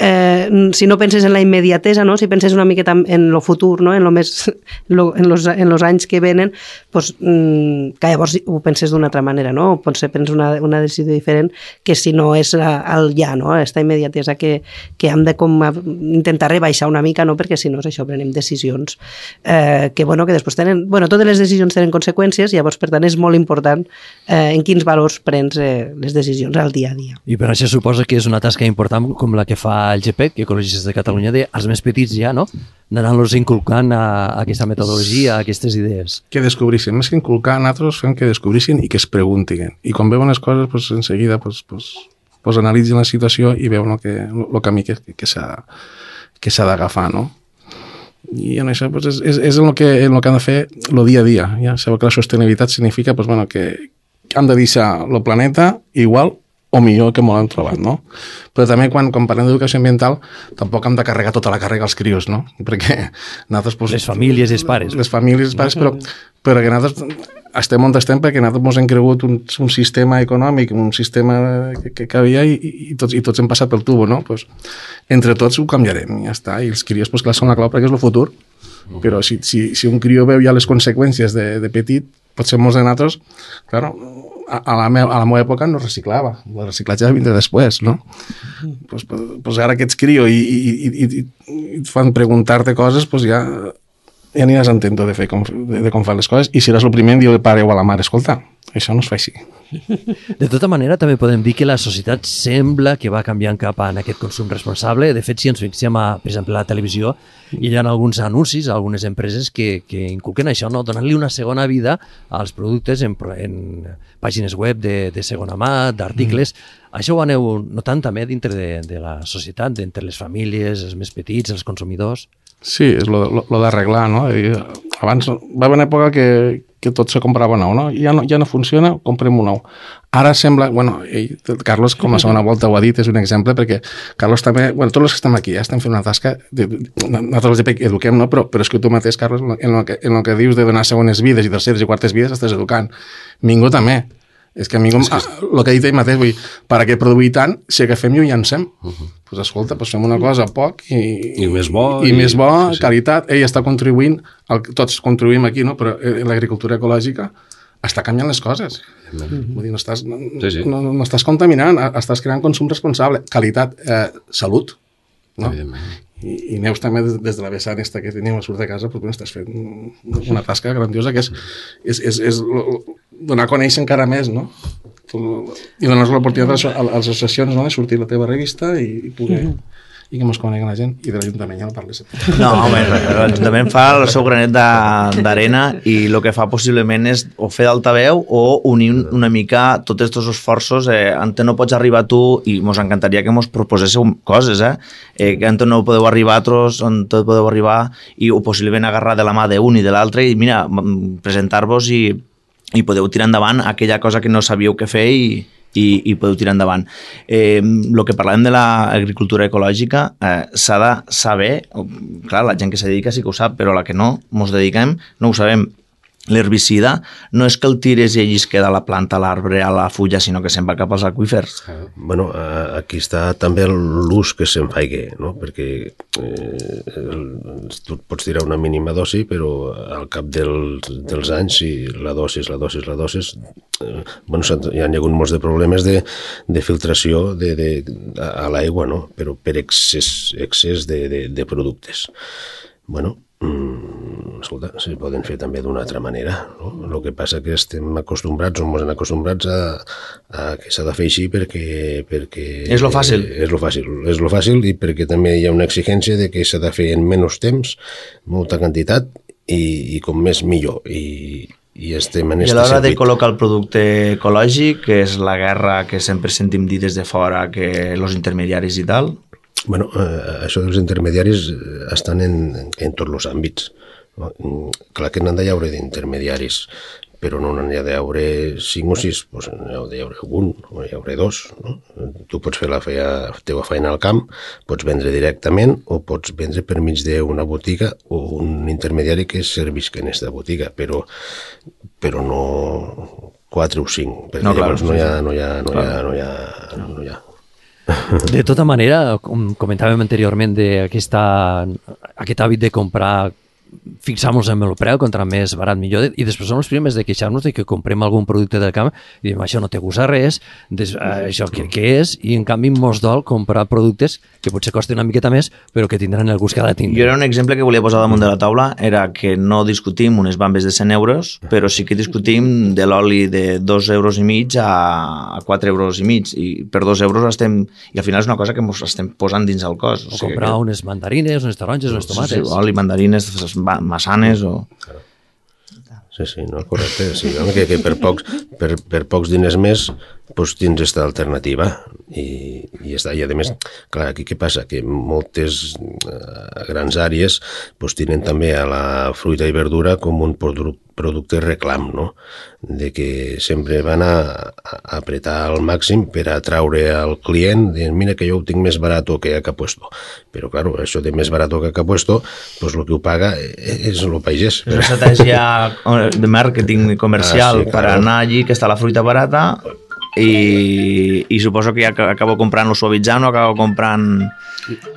Eh, si no penses en la immediatesa, no? Si penses una miqueta en lo futur, no? en, lo més, lo, en, los, en los anys que venen, pues, mm, que llavors ho penses d'una altra manera, no? Potser penses una, una decisió diferent que si no és la, el ja, no? Esta immediatesa que, que hem de com intentar rebaixar una mica, no? Perquè si no és això, prenem decisions eh, que, bueno, que després tenen... Bueno, totes les decisions tenen conseqüències, llavors, per tant, és molt important eh, en quins valors prens eh, les decisions al dia a dia. I per això suposa que és una tasca important com la que fa el G P E C, Ecologistes de Catalunya, de als més petits ja, no? Anant-los inculcant a, a aquesta metodologia, a aquestes idees. Que descobrissin, més que inculcar, nosaltres fem que descobrissin i que es preguntin. I quan veuen les coses, pues, en seguida pues, pues, pues, analitzen la situació i veuen el, que, el camí que, que s'ha que s'ha d'agafar, no? I en això pues, és, és, és el que, el que han de fer el dia a dia. Ja sabeu que la sostenibilitat significa pues, bueno, que han de deixar el planeta igual o millor que molt hem trobat, no? Però també quan, quan parlem d'educació ambiental tampoc hem de carregar tota la càrrega als crios, no? Perquè nosaltres... Pues, les famílies i els pares. Les famílies i els pares, però, però que nosaltres estem on estem perquè nosaltres ens hem cregut un, un sistema econòmic, un sistema que, que havia i, i, tots, i tots hem passat pel tubo, no? Pues, entre tots ho canviarem, ja està. I els crios, pues, clar, són la clau perquè és el futur. Però si, si, si un crió veu ja les conseqüències de, de petit, potser molts de nosaltres, claro, a la, meva, a la meva època no reciclava, el reciclatge vindrà després, no? Pues, pues, pues ara que ets crio i, i, i, i, i et fan preguntar-te coses, pues ja, ja aniràs entenent de, fer com, de, de com fan les coses, i seràs el primer en dir al pare o a la mare, escolta, això no es fa així. De tota manera, també podem dir que la societat sembla que va canviant cap a aquest consum responsable. De fet, si ens fixem a, per exemple, a la televisió, hi ha alguns anuncis, algunes empreses que, que inculquen això, no? Donant-li una segona vida als productes en, en pàgines web de, de segona mà, d'articles. Mm. Això ho aneu notant també dintre de, de la societat, entre les famílies, els més petits, els consumidors? Sí, és lo, lo, lo d'arreglar, no? I abans va haver una època que, que tot se comprava nou, no? Ja no, ja no funciona, comprem un nou. Ara sembla, bueno, ell, Carlos, com a segona volta ho ha dit, és un exemple, perquè Carlos també, bueno, tots els que estem aquí ja estem fent una tasca, de, nosaltres els eduquem, no? Però, però és que tu mateix, Carlos, en el que, en el que dius de donar segones vides i terceres i quartes vides, estàs educant. Ningú també. És que a mi, com, ah, el que ha dit ell mateix, vull dir, per a què produir tant, si agafem i ho llancem? Uh -huh. Pues escolta, pues fem una cosa poc i, I més bo, i, i més bo, sí, sí. Qualitat. Ell està contribuint, el, tots contribuïm aquí, no? Però l'agricultura ecològica està canviant les coses. Uh -huh. Vull dir, no estàs, no, sí, sí. No, no estàs contaminant, estàs creant consum responsable. Qualitat, eh, salut. No? I, i Neus també des de la vessant esta que tenim a surt de casa, doncs, estàs fent una tasca grandiosa que és, és, és, és donar a conèixer encara més, no? I donar l'oportunitat a les associacions, no? De sortir la teva revista i, i poder... i que mos coneguen la gent, i de l'Ajuntament ja no parles. No, home, l'Ajuntament fa el seu granet d'arena i el que fa possiblement és o fer d'altaveu o unir una mica tots aquests esforços. Eh, ante no pots arribar tu, i mos encantaria que mos proposéssiu coses, eh? eh que ante no podeu arribar altres, on tot podeu arribar, i o possiblement agarrar de la mà d'un i de l'altre i, mira, presentar-vos i, i podeu tirar endavant aquella cosa que no sabíeu què fer i I, i podeu tirar endavant. Eh, el que parlem de l'agricultura ecològica eh, s'ha de saber, clar, la gent que s'hi dedica sí que ho sap, però la que no mos dediquem no ho sabem. l'herbicida no és que el tires i allí es queda la planta, l'arbre, a la fulla, sinó que se'n va cap als aqüífers. Bueno, aquí està també l'ús que se'n faigui, no? Perquè eh, tu pots tirar una mínima dosi, però al cap del, dels anys, si la dosis, la dosis, la dosis, eh, bueno, hi ha hagut molts de problemes de, de filtració de, de, a l'aigua, no? Però per excés, excés de, de, de productes. Bueno, Mm, escolta, se poden fer també d'una altra manera, no? El que passa que estem acostumbrats, o ens han acostumbrats a, a que s'ha de fer així perquè... perquè és lo fàcil. És lo fàcil, és lo fàcil i perquè també hi ha una exigència de que s'ha de fer en menys temps, molta quantitat i, i com més millor. I, i estem en I a l'hora de col·locar el producte ecològic, que és la guerra que sempre sentim dir des de fora, que els intermediaris i tal... Bueno, eh, això dels intermediaris estan en, en tots els àmbits. No? Clar que n'han d'haver d'intermediaris, però no n'hi ha d'haver cinc o sis, doncs n'hi ha d'haver un, o n'hi ha d'haver dos. No? Tu pots fer la feina, teva feina al camp, pots vendre directament o pots vendre per mig d'una botiga o un intermediari que servisca en aquesta botiga, però, però no quatre o cinc, perquè no, clar, llavors no hi ha... No hi ha, no hi ha, no hi ha, no hi ha. De tota manera, com comentàvem anteriorment d'aquest hàbit de comprar, fixar-nos en el preu, contra més barat millor, i després som els primers de queixar-nos de que comprem algun producte del camp i diem, això no té gust a res, des, això què, què és? I en canvi mos dol comprar productes que potser costen una miqueta més, però que tindran el gust que ha de tindre. Jo era un exemple que volia posar damunt de la taula, era que no discutim unes bambes de cent euros, però sí que discutim de l'oli de dos euros i mig a quatre euros i mig, i per dos euros estem... I al final és una cosa que ens estem posant dins el cos. O, o sigui, comprar que... unes mandarines, unes taronges, unes tomates. Sí, sí, oli, mandarines, massanes o... Sí, sí, no, correcte. Sí, que, que per, pocs, per, per pocs diners més doncs tens aquesta alternativa i, i, està. I a més, clar, aquí què passa? Que moltes uh, grans àrees doncs tenen també a la fruita i verdura com un produc, producte reclam, no? De que sempre van a, a apretar al màxim per atraure al client, de mira que jo ho tinc més barat que a Capuesto. Però, clar, això de més barat que a Capuesto, doncs el que ho paga és el pagès. És una estratègia de màrqueting comercial ah, sí, per anar allí, que està la fruita barata, i, i suposo que ja acabo comprant o suavitzant o acabo comprant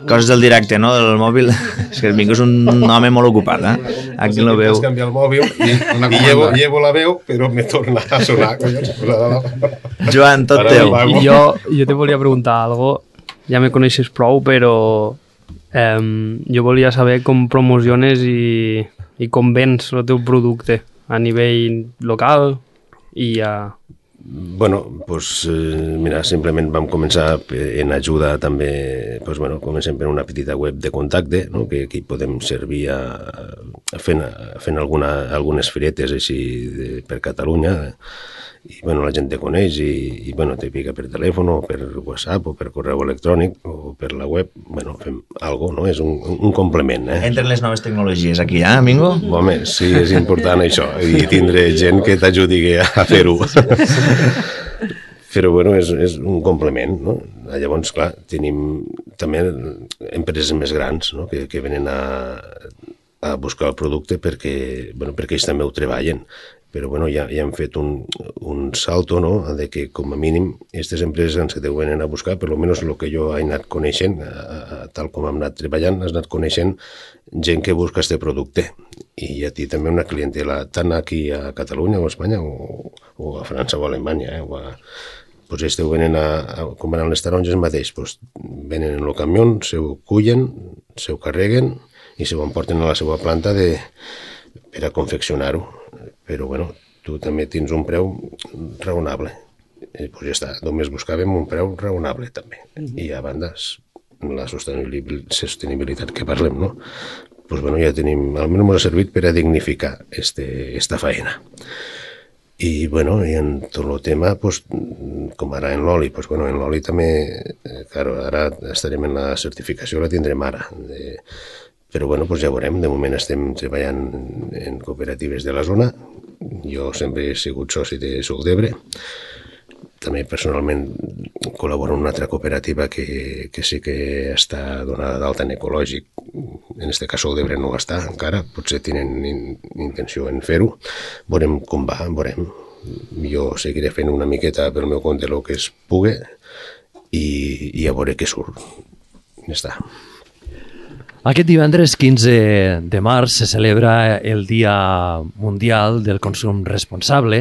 coses del directe, no?, del mòbil. És que el Mingo és un home molt ocupat, eh? Aquí no veu. Has canviat el mòbil i, i llevo, llevo la veu, però me torna a sonar. Joan, tot teu. Jo, jo te volia preguntar algo, ja me coneixes prou, però eh, jo volia saber com promociones i, i com vens el teu producte a nivell local i a... Bueno, doncs, eh, mira, simplement vam començar en ajuda també, doncs, bueno, comencem per una petita web de contacte, no?, que aquí podem servir a, a fent, a fent alguna, algunes firetes així de, per Catalunya, i bueno, la gent te coneix i, i bueno, te pica per telèfon o per WhatsApp o per correu electrònic o per la web, bueno, fem algo, no? És un, un complement, eh? Entren les noves tecnologies aquí, eh, Mingo? Home, sí, és important això, i tindre gent que t'ajudi a fer-ho. Però, bueno, és, és un complement, no? Llavors, clar, tenim també empreses més grans, no?, que, que venen a, a buscar el producte perquè, bueno, perquè ells també ho treballen. Però bueno, ja, ja hem fet un, un salto, no?, de que com a mínim aquestes empreses ens que te venen a buscar, per almenys el que jo he anat coneixent, a, a, tal com hem anat treballant, has anat coneixent gent que busca este producte. I a ti també una clientela, tant aquí a Catalunya o a Espanya o, o a França o a Alemanya, eh, o a... Pues ells te venen a, a comprar les taronges mateix, pues, venen en el camió, se ho cullen, se ho carreguen i se ho emporten a la seva planta de, per a confeccionar-ho. Però, bueno, tu també tens un preu raonable. I, pues ja està, només buscàvem un preu raonable, també. I a banda, la sostenibilitat que parlem, no? Pues, bueno, ja tenim, almenys m'ha servit per a dignificar este, esta faena. I, bueno, i en tot el tema, pues, com ara en l'oli, pues, bueno, en l'oli també, claro, ara estarem en la certificació, la tindrem ara, de... Però bueno, doncs ja veurem, de moment estem treballant en cooperatives de la zona, jo sempre he sigut soci de Suc d'Ebre, també personalment col·laboro en una altra cooperativa que, que sí que està donada d'alta en ecològic. En aquest cas el d'Ebre no ho està encara, potser tenen in, intenció en fer-ho. Veurem com va, veurem. Jo seguiré fent una miqueta pel meu compte el que es pugui i, i a veure què surt. Ja està. Aquest divendres quinze de març se celebra el Dia Mundial del Consum Responsable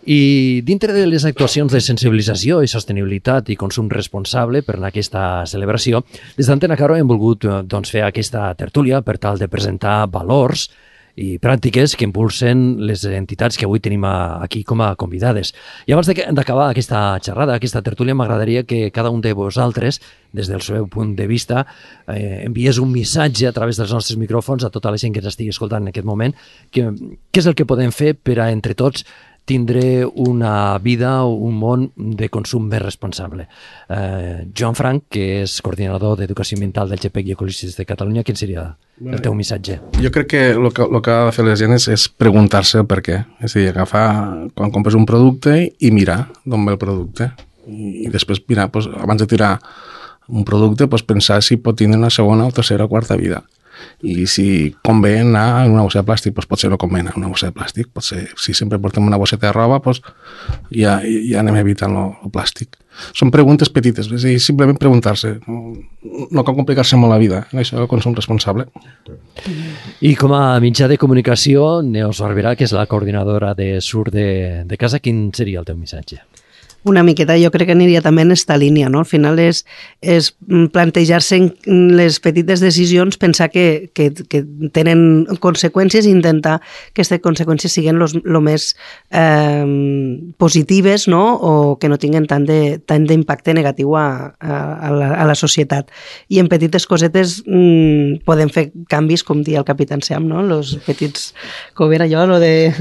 i dintre de les actuacions de sensibilització i sostenibilitat i consum responsable per en aquesta celebració, des d'Antena Caro hem volgut doncs, fer aquesta tertúlia per tal de presentar valors i pràctiques que impulsen les entitats que avui tenim aquí com a convidades. I abans d'acabar aquesta xerrada, aquesta tertúlia, m'agradaria que cada un de vosaltres, des del seu punt de vista, eh, enviés un missatge a través dels nostres micròfons a tota la gent que ens estigui escoltant en aquest moment, que, què és el que podem fer per a, entre tots, tindre una vida, un món de consum més responsable. Eh, Joan Frank, que és coordinador d'Educació Ambiental del G P E C i Ecologistes de Catalunya, quin seria el teu missatge? Jo crec que el que, el que ha de fer la gent és, és preguntar-se el per què. És a dir, agafar, quan compres un producte i mirar d'on ve el producte. I, i després mirar, doncs, abans de tirar un producte, doncs, pensar si pot tenir una segona o tercera o quarta vida. I si convé anar en una bossa de plàstic, doncs potser no convé anar en una bossa de plàstic. Potser, si sempre portem una bosseta de roba, doncs ja, ja anem evitant el plàstic. Són preguntes petites, és a dir, simplement preguntar-se. No, no cal complicar-se molt la vida, en això del consum responsable. I com a mitjà de comunicació, Neus Barberà, que és la coordinadora de Sur de, de Casa, quin seria el teu missatge? Una miqueta, jo crec que aniria també en esta línia, no? Al final és, és plantejar-se en les petites decisions, pensar que, que, que tenen conseqüències i intentar que aquestes conseqüències siguin el més eh, positives, no? O que no tinguin tant d'impacte negatiu a, a, la, a la societat. I en petites cosetes mmm, podem fer canvis, com dia el Capitán Sam, no? Los petits, com era allò, lo de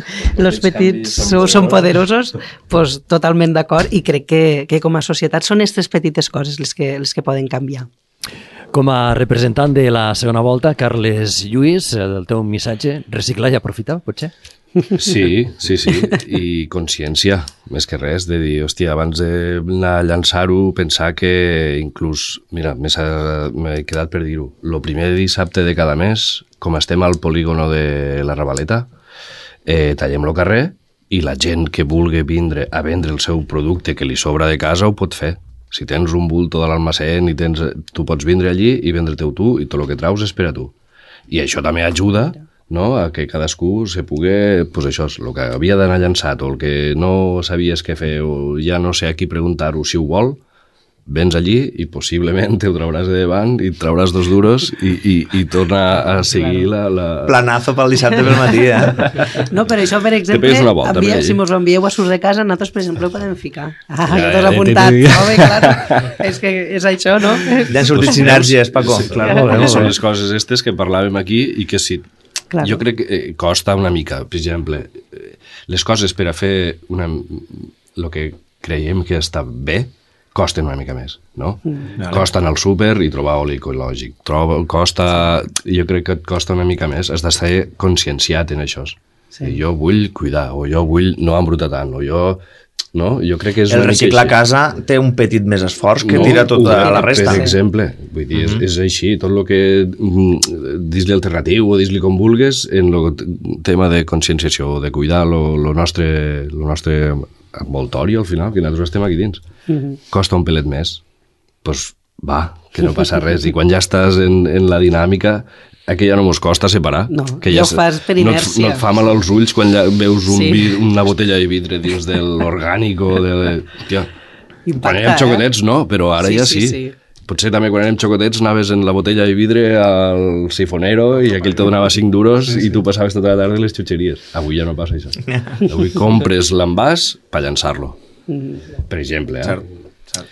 los petits són, són poderosos, pues totalment d'acord. I crec que, que com a societat són aquestes petites coses les que, les que poden canviar. Com a representant de la segona volta, Carles Lluís, el teu missatge, reciclar i aprofitar, potser? Sí, sí, sí, i consciència, més que res, de dir, hòstia, abans d'anar a llançar-ho, pensar que inclús, mira, m'he quedat per dir-ho, el primer dissabte de cada mes, com estem al polígono de la Ravaleta, eh, tallem el carrer, i la gent que vulgui vindre a vendre el seu producte que li sobra de casa ho pot fer. Si tens un bulto de l'almacén i tens, tu pots vindre allí i vendre-te-ho tu i tot el que traus és per a tu. I això també ajuda, no?, a que cadascú se pugui, pues això, el que havia d'anar llançat o el que no sabies què fer o ja no sé a qui preguntar-ho si ho vol, vens allí i possiblement te ho trauràs de davant i et trauràs dos duros i, i, i torna a seguir la, la... Planazo pel dissabte pel matí, eh? No, per això, per exemple, volta, envia, per si mos ho envieu a Surs de Casa, nosaltres, per exemple, ho podem ficar. Ah, ja, ja t'has apuntat. No, bé, clar, és que és això, no? Ja han sortit sinergies, Paco. Sí, clar, molt bé, són les coses aquestes que parlàvem aquí i que sí, claro. Jo crec que eh, costa una mica. Per exemple, les coses per a fer una, el que creiem que està bé, costen una mica més, no? Mm. Costa anar al súper i trobar oli ecològic. Troba, costa, jo crec que et costa una mica més. Has d'estar conscienciat en això. Sí. Jo vull cuidar, o jo vull no embrutar tant, o jo... No? Jo crec que és el reciclar a casa té un petit més esforç que no, tira tota la resta. Per exemple, vull dir, és, és així, tot el que dis-li alternatiu o dis-li com vulgues en el tema de conscienciació, de cuidar el nostre, lo nostre envoltori al final, que nosaltres estem aquí dins. Uh-huh. Costa un pelet més. Doncs pues, va, que no passa res. I quan ja estàs en, en la dinàmica, que ja no mos costa separar. No, que ja ho fas per inèrcia. No et, no et fa mal als ulls quan ja veus un sí. vid, una botella de vidre dins de l'orgànic o de... Tia, Impacta, quan érem xocotets eh? no, però ara sí, ja sí. sí, sí. Potser també quan érem xocotets anaves en la botella de vidre al sifonero i aquell te donava cinc duros sí, sí. i tu passaves tota la tarda les xutxeries. Avui ja no passa això. Avui compres l'envàs per llançar-lo. Mm. Per exemple, eh? Cert.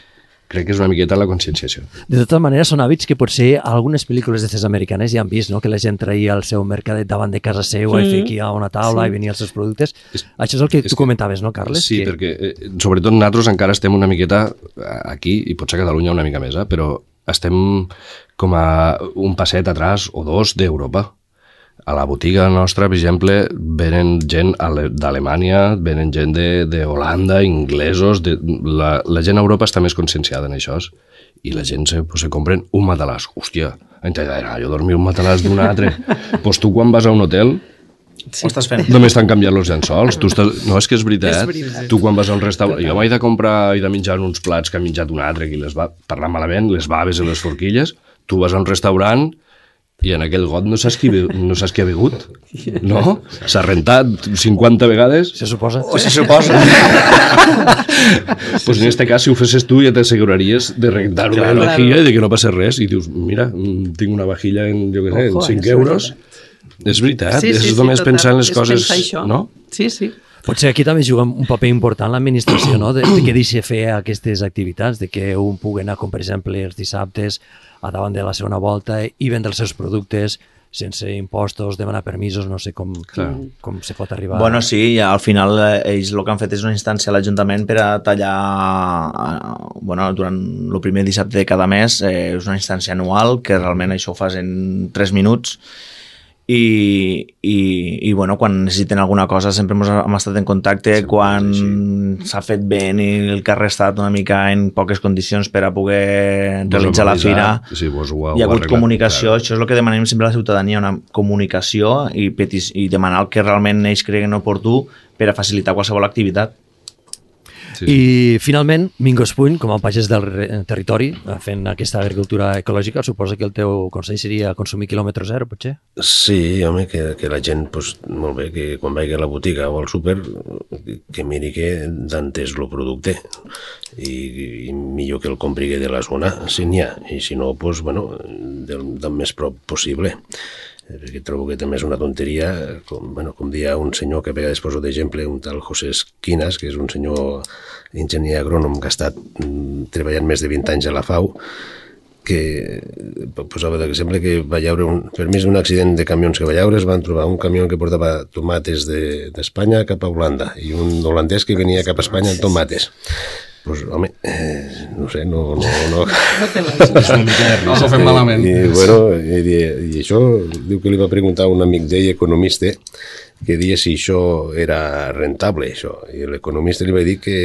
Crec que és una miqueta la conscienciació. De totes maneres, són hàbits que potser algunes pel·lícules d'aquestes americanes ja han vist, no? Que la gent traia el seu mercadet davant de casa seu mm. i fiquia a una taula sí. i venia els seus productes. És, Això és el que és tu que, comentaves, no, Carles? Sí, que... perquè eh, sobretot nosaltres encara estem una miqueta aquí, i potser a Catalunya una mica més, eh? Però estem com a un passet atràs o dos d'Europa. A la botiga nostra, per exemple, venen gent d'Alemanya, venen gent d'Holanda, inglesos... De, la, la gent a Europa està més conscienciada en això i la gent se, pues, se compren un matalàs. Hòstia, jo dormir un matalàs d'un altre. Pues tu quan vas a un hotel... Sí. Ho estàs fent? Només t'han canviat els llençols. Tu estàs... No, és que és veritat. És veritat. Tu quan vas a un restaurant... Jo m'he de comprar i de menjar uns plats que ha menjat un altre, que les va parlar malament, les baves i les forquilles. Tu vas a un restaurant i en aquell got no saps qui, no saps qui ha begut, no? S'ha rentat cinquanta vegades. Se suposa. O se suposa. Pues en este cas, si ho fessis tu, ja t'asseguraries de rentar una claro, vajilla i de que no passa res. I dius, mira, tinc una vajilla en, jo què sé, en cinc euros. És veritat, sí, sí, és sí, només total. pensar en les és coses, no? Sí, sí. Potser aquí també juga un paper important l'administració, no? De, de que deixi fer aquestes activitats, de que un pugui anar, com per exemple, els dissabtes a davant de la segona volta i vendre els seus productes sense impostos, demanar permisos, no sé com, com se pot arribar. Bueno, sí, al final ells el que han fet és una instància a l'Ajuntament per a tallar, bueno, durant el primer dissabte de cada mes, eh, és una instància anual, que realment això ho fas en tres minuts, i, i, i bueno, quan necessiten alguna cosa sempre hem, hem estat en contacte, sí, quan s'ha fet bé i el carrer ha estat una mica en poques condicions per a poder vos realitzar la fira, sí, vos ho, hi ha hagut comunicació, clar. Això és el que demanem sempre a la ciutadania, una comunicació i, petis, i demanar el que realment ells creguen oportú per a facilitar qualsevol activitat. Sí. I finalment, Mingo Espuny, com a pagès del territori, fent aquesta agricultura ecològica, suposa que el teu consell seria consumir quilòmetre zero, potser? Sí, home, que, que la gent, pues, molt bé, que quan vagi a la botiga o al súper, que miri que d'entès el producte i, i millor que el compri de la zona, si n'hi ha, i si no, pues, bueno, del, del més prop possible. Perquè trobo que també és una tonteria, com, bueno, com dia un senyor que a vegades poso d'exemple, un tal José Esquinas, que és un senyor enginyer agrònom que ha estat mm, treballant més de vint anys a la FAO, que posava d'exemple que va llaure, un, per més d'un accident de camions que va llaure, es van trobar un camió que portava tomates d'Espanya de, cap a Holanda i un holandès que venia cap a Espanya amb tomates. Pues, home, eh, no sé, no... No, no, no s'ho fem malament. I, bueno, i, i això, diu que li va preguntar un amic d'ell, economista, que dia si això era rentable, això. I l'economista li va dir que,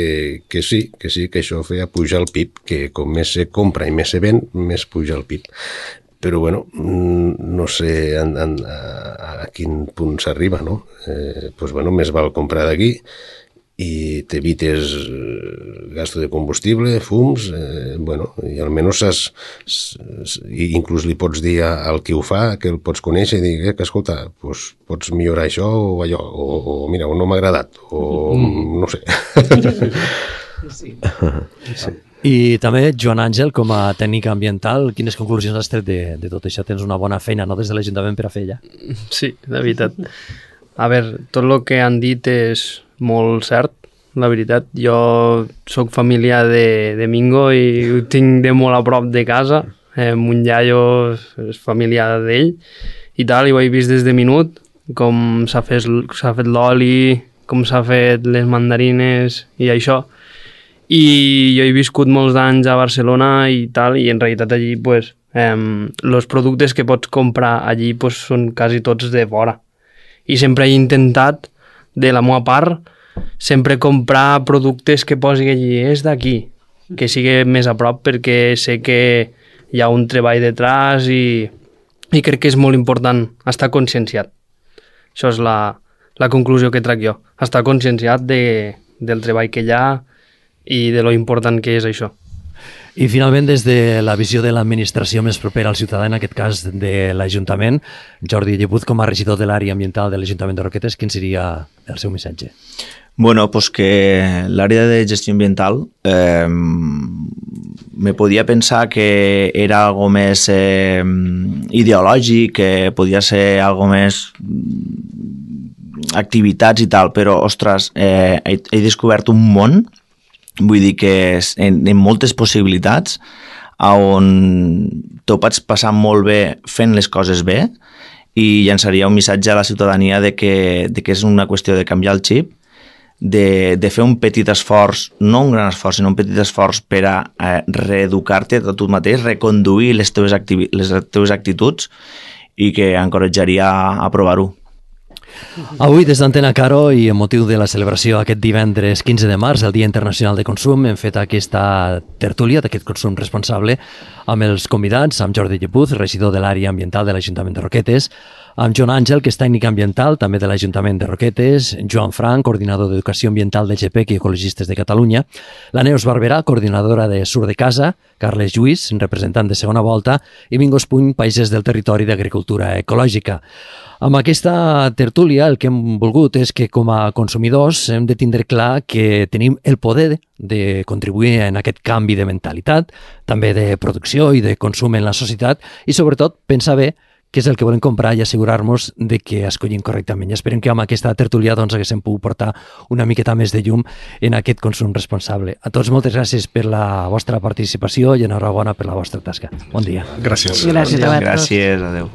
que sí, que sí, que això feia pujar el P I B, que com més se compra i més se ven, més puja el P I B. Però, bueno, no sé en, en, a, a quin punt s'arriba, no? Eh, pues, bueno, més val comprar d'aquí i t'evites gasto de combustible, fums, eh, bueno, i almenys saps, i inclús li pots dir al qui ho fa, que el pots conèixer i dir, eh, que escolta, pues, pots millorar això o allò, o, o mira, o no m'ha agradat, o mm. no sé. Sí. Sí. I també, Joan Àngel, com a tècnic ambiental, quines conclusions has tret de, de tot això? Tens una bona feina, no?, des de l'Ajuntament per a fer ja. Sí, de veritat. A veure, tot el que han dit és molt cert, la veritat. Jo sóc familiar de, de Mingo i ho tinc de molt a prop de casa. Eh, mon iaio és familiar d'ell i tal, i ho he vist des de minut, com s'ha fet, s'ha fet l'oli, com s'ha fet les mandarines i això. I jo he viscut molts anys a Barcelona i tal, i en realitat allí, pues, eh, els productes que pots comprar allí pues, són quasi tots de fora. I sempre he intentat, de la meva part, sempre comprar productes que posi allí, és d'aquí, que sigui més a prop, perquè sé que hi ha un treball detrás i, i crec que és molt important estar conscienciat. Això és la, la conclusió que trac jo, estar conscienciat de, del treball que hi ha i de lo important que és això. I finalment, des de la visió de l'administració més propera al ciutadà, en aquest cas de l'Ajuntament, Jordi Llebuz, com a regidor de l'àrea ambiental de l'Ajuntament de Roquetes, quin seria el seu missatge? Bueno, pues que l'àrea de gestió ambiental eh, me podia pensar que era algo més eh, ideològic, que podia ser algo més activitats i tal, però, ostres, eh, he, he descobert un món, vull dir que en, en moltes possibilitats on t'ho pots passar molt bé fent les coses bé, i llançaria un missatge a la ciutadania de que, de que és una qüestió de canviar el xip, de, de fer un petit esforç, no un gran esforç, sinó un petit esforç per a eh, reeducar-te a tu mateix, reconduir les teves, activi- les teves actituds i que encoratjaria a provar-ho. Avui, des d'Antena Caro i en motiu de la celebració aquest divendres quinze de març, el Dia Internacional de Consum, hem fet aquesta tertúlia d'aquest consum responsable amb els convidats, amb Jordi Llepuz, regidor de l'àrea ambiental de l'Ajuntament de Roquetes, amb Joan Àngel, que és tècnic ambiental, també de l'Ajuntament de Roquetes, Joan Frank, coordinador d'Educació Ambiental de G P E C i Ecologistes de Catalunya, la Neus Barberà, coordinadora de Sur de Casa, Carles Lluís, representant de Segona Volta, i Mingos Puny, paisers del territori d'Agricultura Ecològica. Amb aquesta tertúlia el que hem volgut és que com a consumidors hem de tindre clar que tenim el poder de contribuir en aquest canvi de mentalitat, també de producció i de consum en la societat i sobretot pensar bé què és el que volem comprar i assegurar-nos de que escollim correctament. I esperem que amb aquesta tertúlia doncs, haguéssim pogut portar una miqueta més de llum en aquest consum responsable. A tots moltes gràcies per la vostra participació i enhorabona per la vostra tasca. Bon dia. Gràcies. Gràcies a vosaltres. Gràcies, adeu.